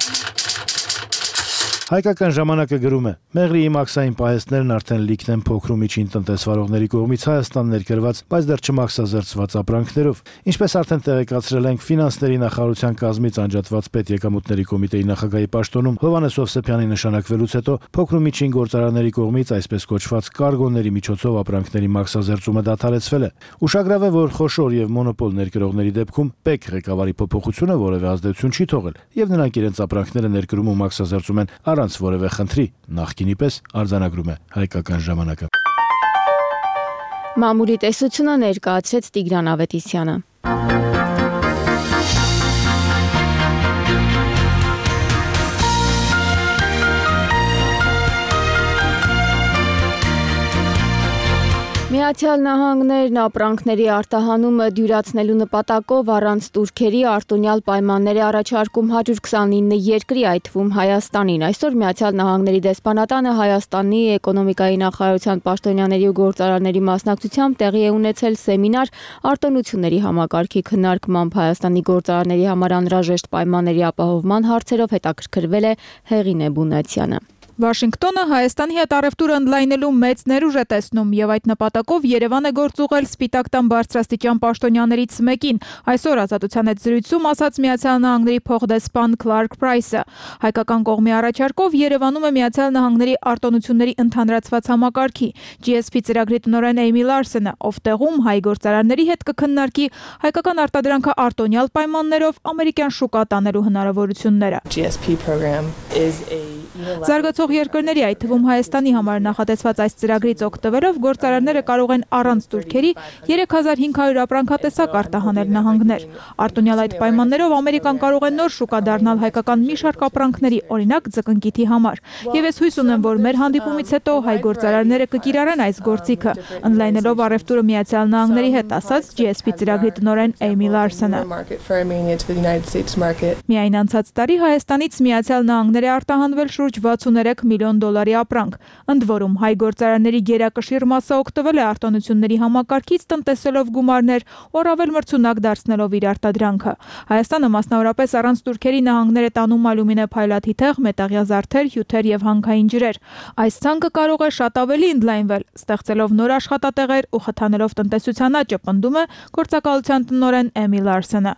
Հայկական ժամանակը գրում է. Մեղրիի մաքսային պահեստներն արդեն լիքն են փոքր ու միջին տնտեսվարողների կողմից Հայաստան ներկրված, բայց դեռ չմաքսազերծված ապրանքներով։ Ինչպես արդեն տեղեկացրել ենք, ֆինանսների նախարարության կազմից անջատված պետեկամուտների կոմիտեի նախագահի պաշտոնում Հովհաննես Հովսեփյանի նշանակվելուց հետո փոքր ու միջին գործարանների կողմից այսպես կոչված կարգոների միջոցով ապրանքների մաքսազերծումը դադարեցվել է։ Ուշագրավ է, որ խոշոր եւ մոնոպոլ ներկրողների դեպքում ՊԵԿ ղեկավարի փոփոխությունը որևէ ազդեցություն չի թողել, եւ նրանք իրենց ապրանքները ներկրում ու մաքսազերծում են առանց որևէ խնդրի, նախկինի պես արձանագրում է Հայկական ժամանակը։ Մամուլի տեսությունը ներկայացրեց Տիգրան Ավետիսյանը։ Միացյալ Նահանգներն ապրանքների արտահանումը դյուրացնելու նպատակով առանց տուրքերի արտոնյալ պայմաններ է առաջարկում 129 երկրի, այդ թվում Հայաստանին։ Այսօր Միացյալ Նահանգների դեսպանատանը Հայաստանի էկոնոմիկայի նախարարության պաշտոնյաների ու գործարարների մասնակցությամբ տեղի է ունեցել սեմինար արտոնությունների համակարգի քննարկմամբ Հայաստանի գործարարների համար անհրաժեշտ պայմանների ապահովման հարցերով հետաքրքրվել է Հեղինե Բունացյանը։ Վաշինգտոնը Հայաստանի հետ առևտուրը ընդլայնելու մեծ ներուժ է տեսնում եւ այդ նպատակով Երևան է գործ ուղղել Սպիտակ տան բարձրաստիճան պաշտոնյաներից մեկին։ Այսօր Ազատության հետ զրույցում ասաց Միացյալ Նահանգների փոխդեսպան Քլարկ Պրայսը։ Հայկական կողմի առաջարկով Երևանում է Միացյալ Նահանգների արտոնությունների ընդհանրացված համակարգի GSP ծրագրի տնօրեն Էյմի Լարսենը, ով տեղում հայ գործարանների հետ կքննարկի հայկական արտադրանքը արտոնյալ պայմաններով ամերիկյան շուկա տանելու հնարավորությունները։ GSP program is a Զարգացող երկրների, այդ թվում Հայաստանի համար նախատեսված այս ծրագրից օգտվելով գործարարները կարող են առանց տուրքերի 3500 ապրանքատեսակ արտահանել նահանգներ։ Արտոնյալ այդ պայմաններով Ամերիկան կարող է նոր շուկա դառնալ հայկական մի շարք ապրանքների, օրինակ ձկնկիթի համար։ Եվ ես հույս ունեմ, որ մեր հանդիպումից հետո հայ գործարարները կկիրառեն այս գործիքը, ընդլայնելով առևտուրը Միացյալ Նահանգների հետ, ասաց GSP ծրագրի տնօրեն Էյմի Լարսենը։ market for Armenia to the United States market. Միայն անցած տարի Հայաստանից Միացյալ Նահանգներ է արտահանվել շուրջ շուրջ 63 միլիոն դոլարի ապրանք։ Ընդ որում հայ գործարանների գերակշիռ մասը օգտվել է արտոնությունների համակարգից, տնտեսելով գումարներ, առավել մրցունակ դարձնելով իր արտադրանքը։ Հայաստանը մասնավորապես առանց Թուրքերի նահանգներ է տանում ալյումինե փայլաթիթեղ, մետաղյա զարդեր, հյութեր եւ հանքային ջրեր։ Այս ցանկը կարող է շատ ավելի ընդլայնվել, ստեղծելով նոր աշխատատեղեր ու խթանելով տնտեսության աճը, պնդում է գործակալության տնօրեն Էմի Լարսենը։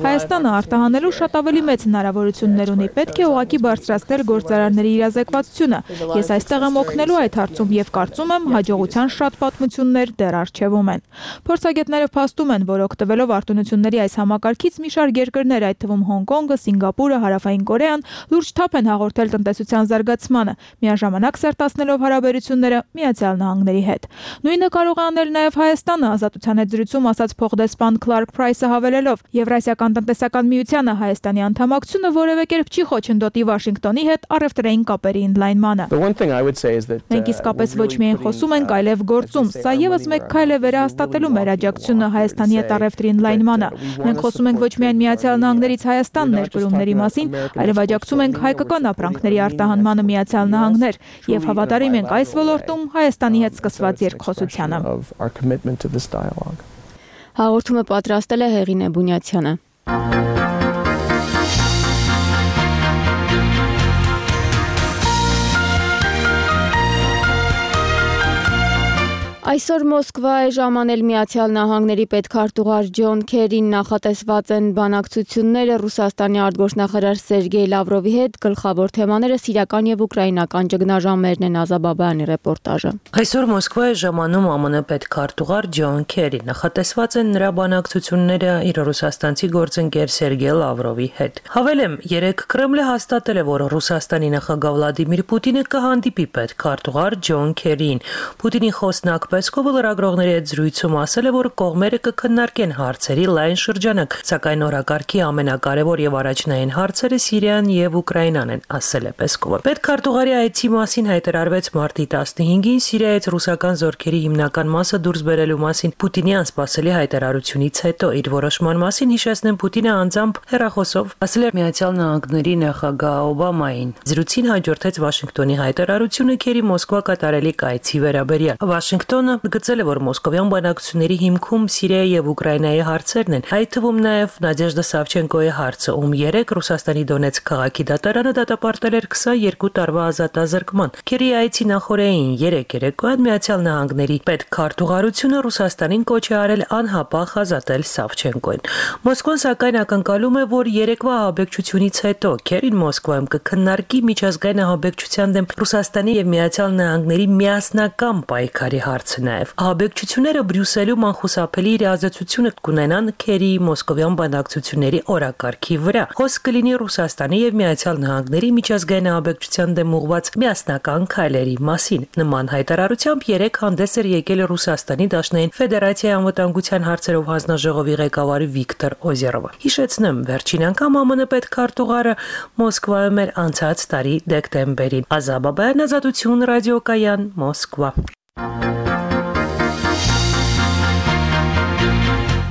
Հայաստանը արտահանելու շատ ավելի մեծ հնարավորություններ ունի, պետք է ուղղակի բարձրացնել գործարանների իրազեկվածությունը։ Ես այստեղ եմ օգնելու այդ հարցում եւ կարծում եմ հաջողության շատ պատմություններ դեռ առջևում են։ Փորձագետները փաստում են, որ օգտվելով արտոնությունների այս համակարգից մի շարք երկրներ, այդ թվում Հոնկոնգը, Սինգապուրը, Հարավային Կորեան, լուրջ թափ են հաղորդել տնտեսության զարգացմանը, միաժամանակ սերտացնելով հարաբերությունները Միացյալ Նահանգների հետ։ Նույնը կարող է անել նաև Հայաստանը, Ազատության հետ զրույցում ասաց փոխդեսպան Քլարկ Փրայսը հավելելով. Եվրասիական տնտեսական միությանը Հայաստանի անդամակցությունը որևէ կերպ չի խոչընդոտի Վաշինգտոնի հետ առևտրային կապերի ընդլայնմանը։ Մենք իսկապես ոչ միայն խոսում ենք, այլև գործում։ Սա եւս մեկ քայլ է վերահաստատելու մեր աջակցությունը Հայաստանի հետ առևտրի ընդլայնմանը։ Մենք խոսում ենք ոչ միայն Միացյալ Նահանգներից Հայաստան ներկրումների մասին, այլև աջակցում ենք հայկական ապրանքների արտահանմանը Միացյալ Նահանգներ եւ հավատարիմ ենք այս ոլորտում Հայաստանի հետ սկսված երկխոսությանը։ Հաղորդումը պատրաստել է Հեղինե Բունյացյանը։ Այսօր Մոսկվա է ժամանել Միացյալ Նահանգների պետքարտուղար Ջոն Քերին, նախատեսված են բանակցությունները Ռուսաստանի արտգործնախարար Սերգեյ Լավրովի հետ, գլխավոր թեմաները սիրիական եւ ուկրաինական ճգնաժամերն են, Ազաբաբայանի ռեպորտաժը։ Այսօր Մոսկվա է ժամանում ԱՄՆ պետքարտուղար Ջոն Քերի, նախատեսված են նրա բանակցությունները իր ռուսաստանցի գործընկեր Սերգեյ Լավրովի հետ։ Հավելեմ, երեկ Կրեմլը հաստատել է, որ Ռուսաստանի նախագահ Վլադիմիր Պուտինը կհանդիպի պետքարտուղար Ջոն Քերին։ Պուտինի խոսնակ Պեսկովը լրագրողների հետ զրույցում ասել է, որ կողմերը կքննարկեն հարցերի լայն շրջանակ, սակայն օրակարգի ամենակարևոր եւ առաջնային հարցերը Սիրիան եւ Ուկրաինան են, ասել է Պեսկովը։ Պետքարտուղարի այցի մասին հայտարարվեց մարտի 15-ին Սիրիայից ռուսական զորքերի հիմնական մասը դուրս բերելու մասին Պուտինի անսպասելի հայտարարությունից հետո։ Իր որոշման մասին հիշեցնեմ, Պուտինը անձամբ հեռախոսով ասել է Միացյալ Նահանգների նախագահ Օբամային։ Զրույցին հաջորդեց Վաշինգտոնի հայտարարությունը Քերի Մոսկվա կատարելիք այցի վերաբերյալ։ Վաշինգտոնը գծել է, որ մոսկովյան բանակցությունների հիմքում Սիրիայի եւ Ուկրաինայի հարցերն են, այդ թվում նաեւ Նադեժդա Սավչենկոյի հարցը, ում երեք Ռուսաստանի Դոնեցկ քաղաքի դատարանը դատապարտել էր 22 տարվա ազատազրկման։ Քերի այցի նախօրեին երեկոյան Միացյալ Նահանգների պետքարտուղարությունը Ռուսաստանին կոչ է արել անհապաղ ազատել Սավչենկոին։ Մոսկվան սակայն ակնկալում է, որ երեկվա ահաբեկչությունից հետո Քերին Մոսկվայում կքննարկի միջազգային ահաբեկչության դեմ Ռուսաստանի եւ Միացյալ Նահանգների միասնական պայքարի հարցը նաև։ Ահաբեկչությունները Բրյուսելում անխուսափելի իրազեկությունը կունենան Քերիի մոսկովյան բանակցությունների օրակարգի վրա։ Խոսք կլինի Ռուսաստանի եւ Միացյալ Նահանգների միջազգային ահաբեկչության դեմ ուղղված միասնական քայլերի մասին։ Նման հայտարարությամբ երեք հանդես էր եկել Ռուսաստանի Դաշնային Ֆեդերացիայի անվտանգության հարցերով հանձնաժողովի ղեկավար Վիկտոր Օզերովը։ Հիշեցնեմ, վերջին անգամ ԱՄՆ պետքարտուղարը Մոսկվայում էր անցած տարի դեկտեմբերին։ Ազաբաբայան, Ազատություն ռադիոկայան, Մոսկվա։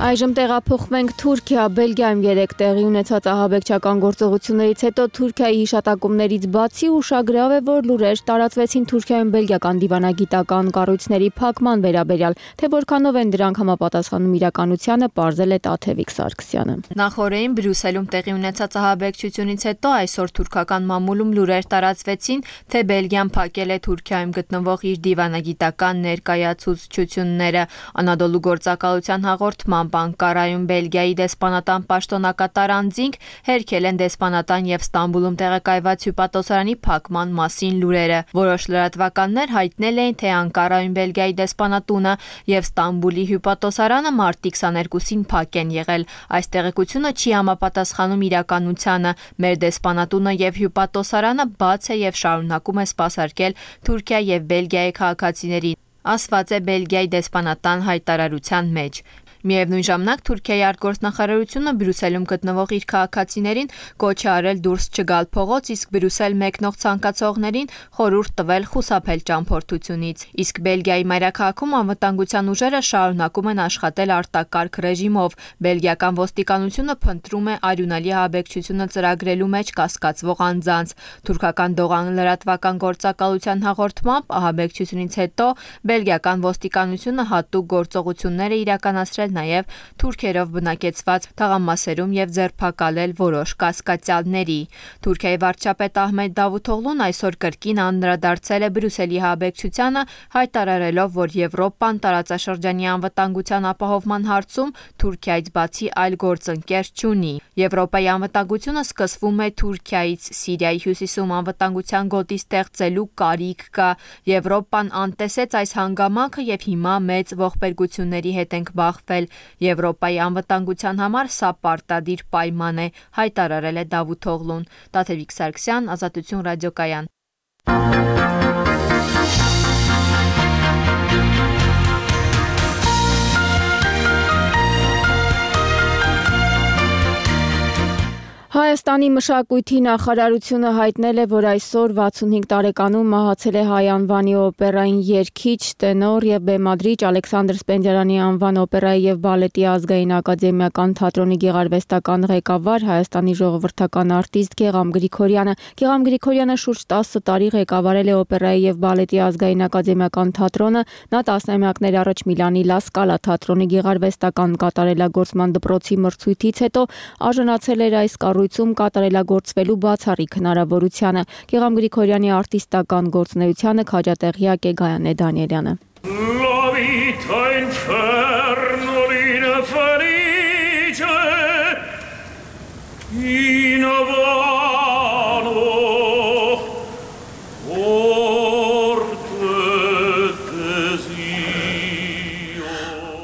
Այժմ տեղափոխվենք Թուրքիա, Բելգիայում երեկ տեղի ունեցած ահաբեկչական գործողություններից հետո Թուրքիայի հիշատակումներից բացի ուշագրավ է, որ լուրեր տարածվեցին Թուրքիայում բելգիական դիվանագիտական կառույցների փակման վերաբերյալ, թե որքանով են դրանք համապատասխանում իրականությանը, պարզել է Տաթևիկ Սարգսյանը։ Նախորդին Բրյուսելում տեղի ունեցած ահաբեկչությունից հետո այսօր թուրքական մամուլում լուրեր տարածվեցին, թե Բելգիան փակել է Թուրքիայում գտնվող իր դիվանագիտական ներկայացուցչությունները։ Անադոլու գործակալության հաղորդմամբ Անկարայում Բելգիայի դեսպանատան պաշտոնակատար անձինք հերքել են դեսպանատան եւ Ստամբուլում տեղակայված հյուպատոսարանի փակման մասին լուրերը։ Որոշ լրատվականներ հայտնել էին, թե Անկարայում Բելգիայի դեսպանատունը եւ Ստամբուլի հյուպատոսարանը մարտի 22-ին փակ են եղել։ Այս տեղեկությունը չի համապատասխանում իրականությանը։ Մեր դեսպանատունը եւ հյուպատոսարանը բաց է եւ շարունակում է սպասարկել Թուրքիա եւ Բելգիայի քաղաքացիներին, ասված է Բելգիայի դեսպանատան հայտարարության մեջ։ Միևնույն ժամանակ Թուրքիայի արտգործնախարարությունը Բրյուսելում գտնվող իր քաղաքացիներին կոչ է արել դուրս չգալ փողոց, իսկ Բրյուսել մեկնող ցանկացողներին խորհուրդ տվել խուսափել ճամփորդությունից։ Իսկ Բելգիայի մայրաքաղաքում անվտանգության ուժերը շարունակում են աշխատել արտակարգ ռեժիմով։ Բելգիական ոստիկանությունը փնտրում է արյունալի ահաբեկչությունը ծրագրելու մեջ կասկածվող անձանց։ Թուրքական Դողան լրատվական գործակալության հաղորդմամբ ահաբեկչությունից հետո բելգիական ոստիկանությունը հատուկ գործողություններ է իրականացրել նաև թուրքերով բնակեցված թաղամասերում եւ ձերբակալել որոշ կասկածյալների։ Թուրքիայի վարչապետ Ահմեդ Դավութօղլուն այսօր կրկին անդրադարձել է Բրյուսելի ահաբեկչությանը, հայտարարելով, որ Եվրոպան տարածաշրջանի անվտանգության ապահովման հարցում Թուրքիայից բացի այլ գործընկեր չունի։ Եվրոպայի անվտանգությունը սկսվում է Թուրքիայից, Սիրիայի հյուսիսում անվտանգության գոտի ստեղծելու կարիք կա։ Եվրոպան անտեսեց այս հանգամանքը եւ հիմա մեծ ողբերգությունների հետ ենք բախվել։ Եվրոպայի անվտանգության համար սա պարտադիր պայման է, հայտարարել է Դավութօղլուն։ Տաթևիկ Սարգսյան, Ազատություն ռադիոկայան։ Հայաստանի մշակույթի նախարարությունը հայտնել է, որ այսօր 65 տարեկանում մահացել է հայ անվանի օպերային երգիչ, տենոր եւ բեմադրիչ Ալեքսանդր Սպենդիարյանի անվան օպերայի եւ բալետի ազգային ակադեմիական թատրոնի գեղարվեստական ղեկավար, Հայաստանի ժողովրդական արտիստ Գեգամ Գրիգորյանը։ Գեգամ Գրիգորյանը շուրջ 10 տարի ղեկավարել է օպերայի եւ բալետի ազգային ակադեմիական թատրոնը։ Նա տասնամյակներ առաջ Միլանի Լա Սկալա թատրոնի գեղարվեստական կատարելագործման դպրոցի մրցույթից հետո արժանացել էր այս կառույցում կատարելագործվելու բացառիկ հնարավորությանը։ Գեգամ Գրիգորյանի արտիստական գործունեությանը քաջատեղյակ է Գայանե Դանիելյանը։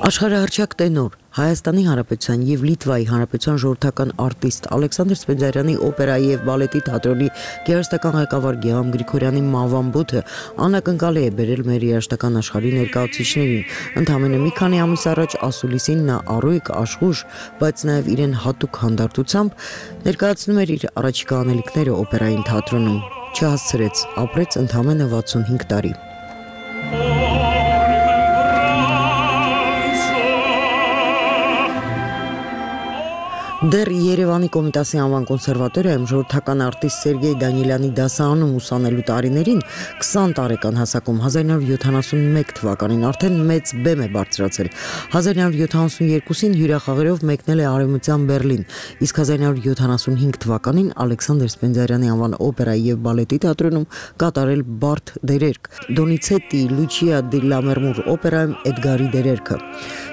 Աշխարհահռչակ տենոր, Հայաստանի Հանրապետության եւ Լիտվայի Հանրապետության ժողովրդական արտիստ Ալեքսանդր Սպենդիարյանի օպերայի եւ բալետի թատրոնի գեղարվեստական ղեկավար Գեգամ Գրիգորյանի մահվան բութը անակնկալի է բերել մեր երաժշտական աշխարհի ներկայացուցիչներին։ Ընդամենը մի քանի ամիս առաջ ասուլիսին նա առույգ, աշխուժ, բայց նաեւ իրեն հատուկ հանդարտությամբ ներկայացնում էր իր առաջիկա անելիքները օպերային թատրոնում։ Չհասցրեց, ապրեց ընդամենը 65 տարի։ Դեռ Երևանի Կոմիտասի անվան կոնսերվատորիայում ժողովրդական արտիստ Սերգեյ Դանիելյանի դասարանում ուսանելու տարիներին 20 տարեկան հասակում 1971 թվականին արդեն մեծ բեմ է բարձրացել։ 1972-ին հյուրախաղերով մեկնել է Արևմտյան Բերլին, իսկ 1975 թվականին Ալեքսանդր Սպենդիարյանի անվան օպերայի եւ բալետի թատրոնում կատարել բարդ դերերք՝ Դոնիցետի, Լուչիա դի Լամերմուր օպերայում Էդգարի դերերքը։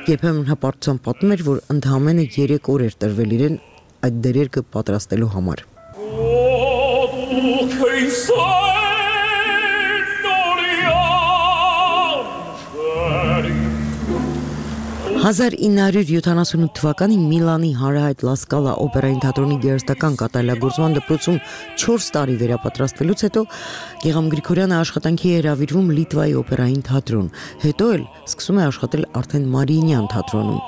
Երբեմն հպարտությամբ պատմում էր, որ ընդամենը 3 օր էր տրվել իրեն այդ դերերքը պատրաստելու համար։ 1978 թվականին Միլանի հանրահայտ Լա Սկալա օպերային թատրոնի գեղարվեստական կատարելագործման դպրոցում 4 տարի վերապատրաստվելուց հետո Գեգամ Գրիգորյանը աշխատանքի է հրավիրվում Լիտվայի օպերային թատրոն, հետո էլ սկսում է աշխատել արդեն Մարիինյան թատրոնում,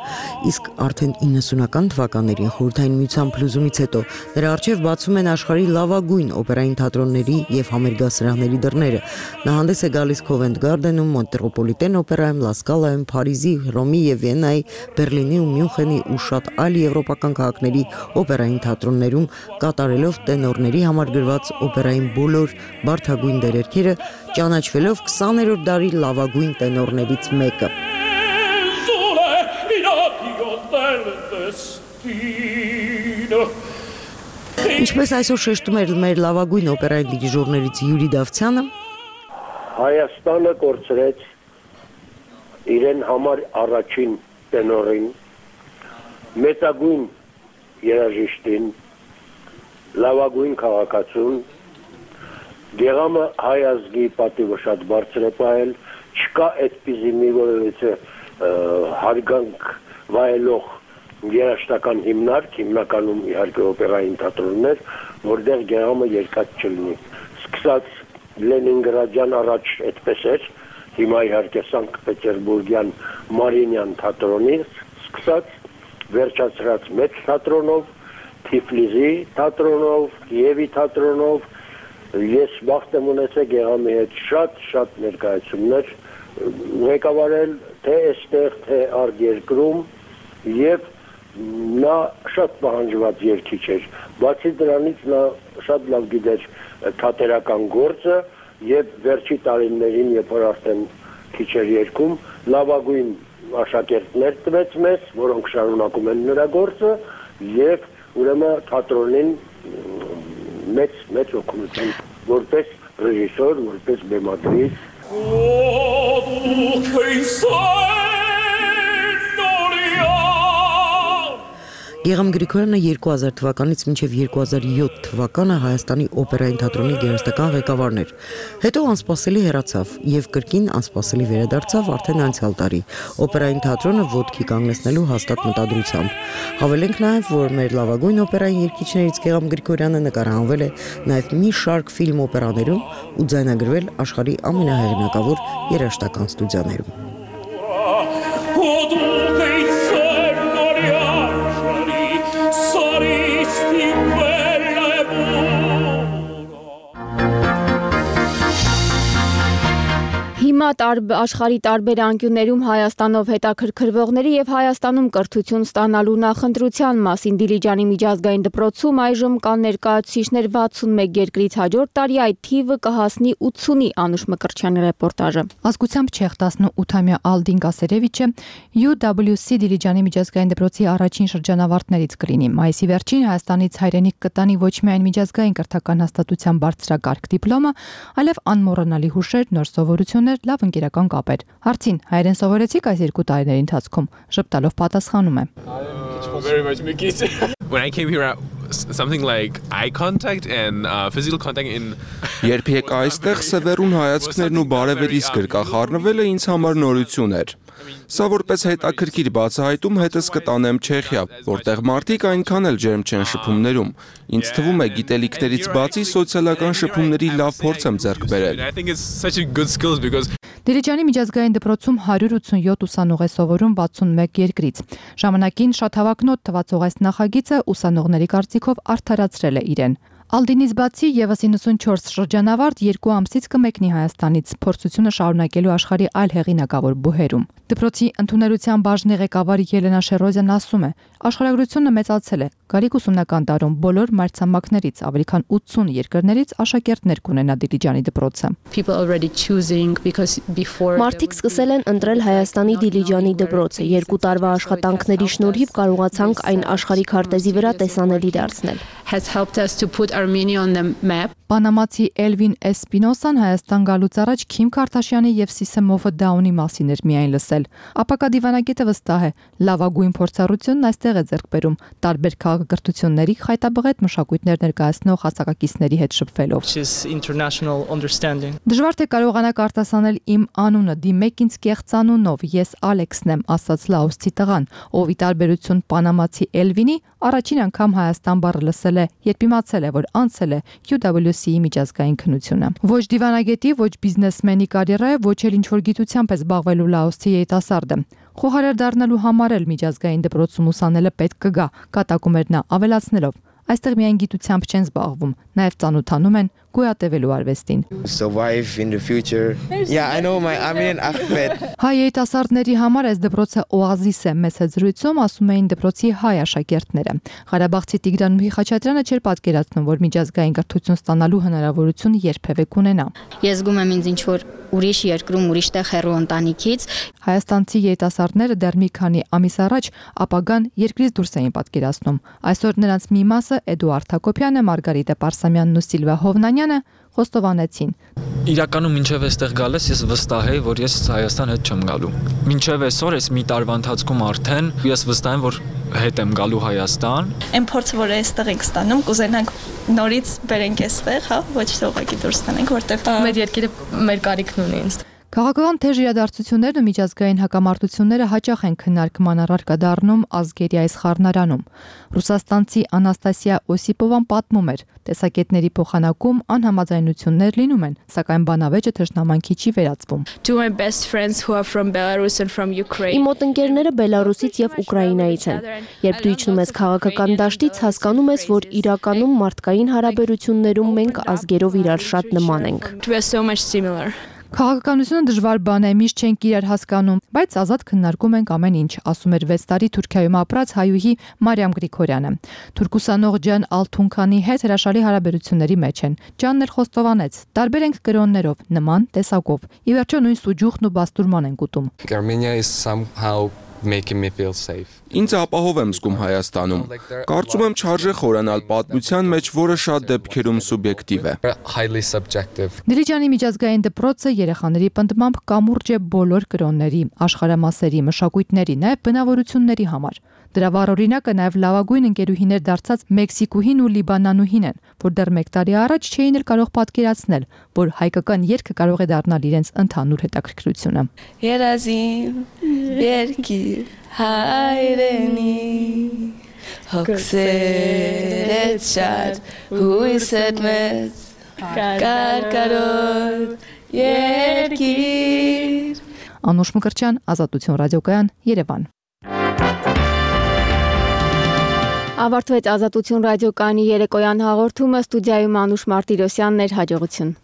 իսկ արդեն 90-ական թվականներին Խորհրդային Միության փլուզումից հետո նրա առջև բացվում են աշխարհի լավագույն օպերային թատրոնների եւ համերգասրահների դռները։ Նա հանդես է գալիս Covent Garden-ում, Մետրոպոլիտեն օպերայում, Լա Սկալայում, Փարիզի, Հռոմի եւ Վիեննայի, Բերլինի ու Մյունխենի ու շատ այլ եվրոպական քաղաքների օպերային թատրոններում կատարելով տենորների համար գրված օպերային բոլոր բարդագույն դերերքերը, ճանաչվելով 20-րդ դարի լավագույն տենորներից մեկը։ Ինչպես այսօր շեշտում էր մեր լավագույն օպերային դիրիժորներից Յուրի Դավթյանը, Հայաստանը կորցրեց իրեն համար առաջին տենորին, մեծագույն երաժիշտին, լավագույն քաղաքացուն, Գեգամը հայ ազգի պատիվը շատ բարձր է պահել, չկա այդպիսի մի որևէ հարգանք վայելող երաժշտական հիմնարկ, հիմնականում իհարկե օպերային թատրոններ, որտեղ Գեգամը երկած չլինի։ Սկսած Լենինգրադյան առաջ այդպես էր, հիմա իհարկե Սանկտ Պետերբուրգյան Մարիինյան թատրոնից սկսած վերջացրած մեծ թատրոնով, Թիֆլիսի թատրոնով, Կիևի թատրոնով, ես բախտ եմ ունեցել Գեղամի հետ շատ ներկայացումներ ղեկավարել թե այստեղ, թե արտերկրում եւ նա շատ պահանջված երգիչ էր, բացի դրանից նա շատ լավ գիտեր թատերական գործը եւ վերջի տարիներին, երբ որ արդեն քիչ էր երգում, լավագույն աշակերտներ տվեց մեզ, որոնք շարունակում են նրա գործը եւ ուրեմն թատրոնին մեծ օգնություն որպես ռեժիսոր, որպես բեմադրիչ Գեղամ Գրիգորյանը 2000 թվականից մինչև 2007 թվականը Հայաստանի օպերային թատրոնի գերստական ղեկավարն էր։ Հետո անսպասելի հեռացավ եւ կրկին անսպասելի վերադարձավ արդեն անցյալ տարի օպերային թատրոնը ոտքի կանգնեցնելու հաստատ մտադրությամբ։ Հավելենք նաեւ, որ մեր լավագույն օպերային երգիչներից Գեղամ Գրիգորյանը նկարահանվել է նաեւ մի շարք ֆիլմ օպերաներում ու ձայնագրվել աշխարհի ամենահեղինակավոր երաժշտական ստուդիաներում։ Հիմա աշխարհի տարբեր անկյուններում Հայաստանով հետաքրքրվողների եւ Հայաստանում կրթություն ստանալու նախընտրության մասին Դիլիջանի միջազգային դպրոցում այժմ կան ներկայացուցիչներ 61 երկրից, հաջորդ տարի այդ թիվը կհասնի 80-ի, Անուշ Մկրտչյանի ռեպորտաժը։ Ազգությամբ չեխ 18-ամյա Ալդին Կասերևիչը UWC Դիլիջանի միջազգային դպրոցի առաջին շրջանավարտներից կլինի։ Մայիսի վերջին Հայաստանից հայրենիք կտանի ոչ միայն միջազգային կրթական հաստատության բարձրակարգ դիպլոմը, այլև անմոռանալի հուշեր, նոր սովորություններ, լավ ընկերական կապեր։ Հարցին հայերեն սովորեցիք այս 2 տարիների ընթացքում, ժպտալով պատասխանում է. When I came here something like eye contact and physical contact in Երբ եկա այստեղ սևեռուն հայացքներն ու բարևերից գրկախառնվելը ինձ համար նորություն էր։ Սա որպես հետաքրքիր բացահայտում հետս կտանեմ Չեխիա, որտեղ մարդիկ այնքան էլ ջերմ չեն շփումներում։ Ինձ թվում է գիտելիքներից բացի սոցիալական շփումների լավ փորձ եմ ձեռք բերել։ Դիլիջանի միջազգային դպրոցում 187 ուսանող է սովորում 61 երկրից։ Ժամանակին շատ հավակնոտ թվացող այս նախագիծը ուսանողների կարծիքով արդարացրել է իրեն։ Ալդինից բացի եւս 94 շրջանավարտ 2 ամսից կմեկնի Հայաստանից փորձությունը շարունակելու աշխարհի այլ հեղինակավոր բուհերում։ Դպրոցի ընդունելության բաժնի ղեկավար Ելենա Շերոզյան ասում է. աշխարհագրությունը մեծացել է։ Գալիք ուսումնական տարում բոլոր մայրցամաքներից ավելի քան 80 երկրներից աշակերտներ կունենա Դիլիջանի դպրոցը։ Մարդիկ սկսել են ընտրել Հայաստանի Դիլիջանի դպրոցը։ 2 տարվա աշխատանքների շնորհիվ կարողացանք այն աշխարհի քարտեզի վրա տեսանելի դարձնել։ Պանամացի Էլվին Էսպինոսան Հայաստան գալուց առաջ Քիմ Քարթաշյանի եւ Սիսեմովը Դաունի մասին էր միայն լսել։ Ապակա դիվանագետը վստահ է, լավագույն փորձառությունն այստեղ է ձեռք բերում տարբեր քաղաքակրթությունների խայտաբղետ մշակույթներ ներկայացնող հասակակիցների հետ շփվելով։ Դժվար թե կարողանաք արտասանել իմ անունը, դիմեք ինձ կեղծանունով, ես Ալեքսն եմ, ասաց լաոսցի տղան, ով ի տարբերություն պանամացի Էլվինի առաջին անգամ Հայաստան բառը լսել է, երբ իմացել է, որ անցել է UWC-ի միջազգային քննությունը։ Ոչ դիվանագետի, ոչ բիզնեսմենի կարիերա է, ոչ էլ ինչ-որ գիտությամբ է զբաղվելու լաոսցի երիտասարդը։ Խոհարար դառնալու համար էլ միջազգային դպրոցում ուսանելը պետք կգա, կատակում էր նա, ավելացնելով. այստեղ միայն գիտությամբ չեն զբաղվում, նաև ծանոթանում են գոյատևելու արվեստին։ Հայ երիտասարդների համար այս դպրոցը օազիս է, մեծ զրույցում ասում էին դպրոցի հայ աշակերտները։ Ղարաբաղցի Տիգրան Խաչատրյանը չէր պատկերացնում, որ միջազգային կրթություն ստանալու հնարավորություն երբևէ կունենա։ Ես զգում եմ ինձ ինչ-որ ուրիշ երկրում, ուրիշ տեղ հեռու ընտանիքից։ Հայաստանցի երիտասարդները դեռ մի քանի ամիս առաջ ապագան երկրից դուրս էին պատկերացնում։ Այսօր նրանց մի մասը Էդուարդ Հակոբյանը, Մարգարիտա Պարսամյանն ու Սիլվա Հովնանյանը խոստովանեցին։ Իրականում մինչև այստեղ գալիս ես վստահ եմ, որ ես Հայաստան հետ չեմ գալու։ Մինչև այսօր ես մի տարվա ընթացքում արդեն ես վստահ եմ, որ հետ եմ գալու Հայաստան։ Այն փորձը, որ այստեղ ենք ստանում, կուզենանք նորից բերենք այստեղ, հա, ոչ թե ուղղակի դուրս տանենք, որտեղ մեր երկիրը մեր կարիքն ունի ինձ։ Քաղաքական թեժ իրադարձություններն ու միջազգային հակամարտությունները հաճախ են քննարկման առարկա դառնում ազգերի այս խառնարանում։ Ռուսաստանցի Անաստասիա Օսիպովան պատմում էր, տեսակետների փոխանակում անհամաձայնություններ լինում են, սակայն բանավեճը թշնամանքի չի վերածվում։ Իմ մոտ ընկերները Բելարուսից եւ Ուկրաինայից են։ Երբ դու իջնում ես քաղաքական դաշտից, հասկանում ես, որ իրականում մարդկային հարաբերություններում մենք ազգերով իրար շատ նման ենք։ Քաղաքականությունը դժվար բան է, միշտ չենք իրար հասկանում, բայց ազատ քննարկում ենք ամեն ինչ, ասում էր 6 տարի Թուրքիայում ապրած հայուհի Մարիամ Գրիգորյանը։ Թուրքուսանող Ջան Ալթունքանի հետ հրաշալի հարաբերությունների մեջ են։ Ջանն էլ խոստովանեց, տարբեր ենք կրոններով, նման տեսակով։ Ի վերջո նույն սուջուխն ու բաստուրման են ուտում։ Ինձ ապահով եմ զգում Հայաստանում։ Կարծում եմ չարժե խորանալ պատմության մեջ, որը շատ դեպքերում սուբյեկտիվ է։ Դիլիջանի միջազգային դպրոցը երեխաների պնդմամբ կամուրջ է բոլոր կրոնների, աշխարհամասերի, մշակույթների, նաև բնավորությունների համար։ Դրա վառ օրինակը նաև լավագույն ընկերուհիներ դարձած Մեքսիկուհին ու Լիբանանուհին են, որ դեռ 1 տարի առաջ չէին էլ կարող պատկերացնել, որ հայկական երգը կարող է դառնալ իրենց ընդհանուր հետաքրքրությունը։ Երազիմ երկիր հայրենի հոգսերդ շատ հույսդ մեծ կարկարոտ երկիր Անուշ Մկրտչյան, Ազատություն ռադիոկայան, Երևան։ Ավարտվեց Ազատություն ռադիոկայանի երեկոյան հաղորդումը, ստուդիայում Անուշ Մարտիրոսյանն էր, հաջողություն։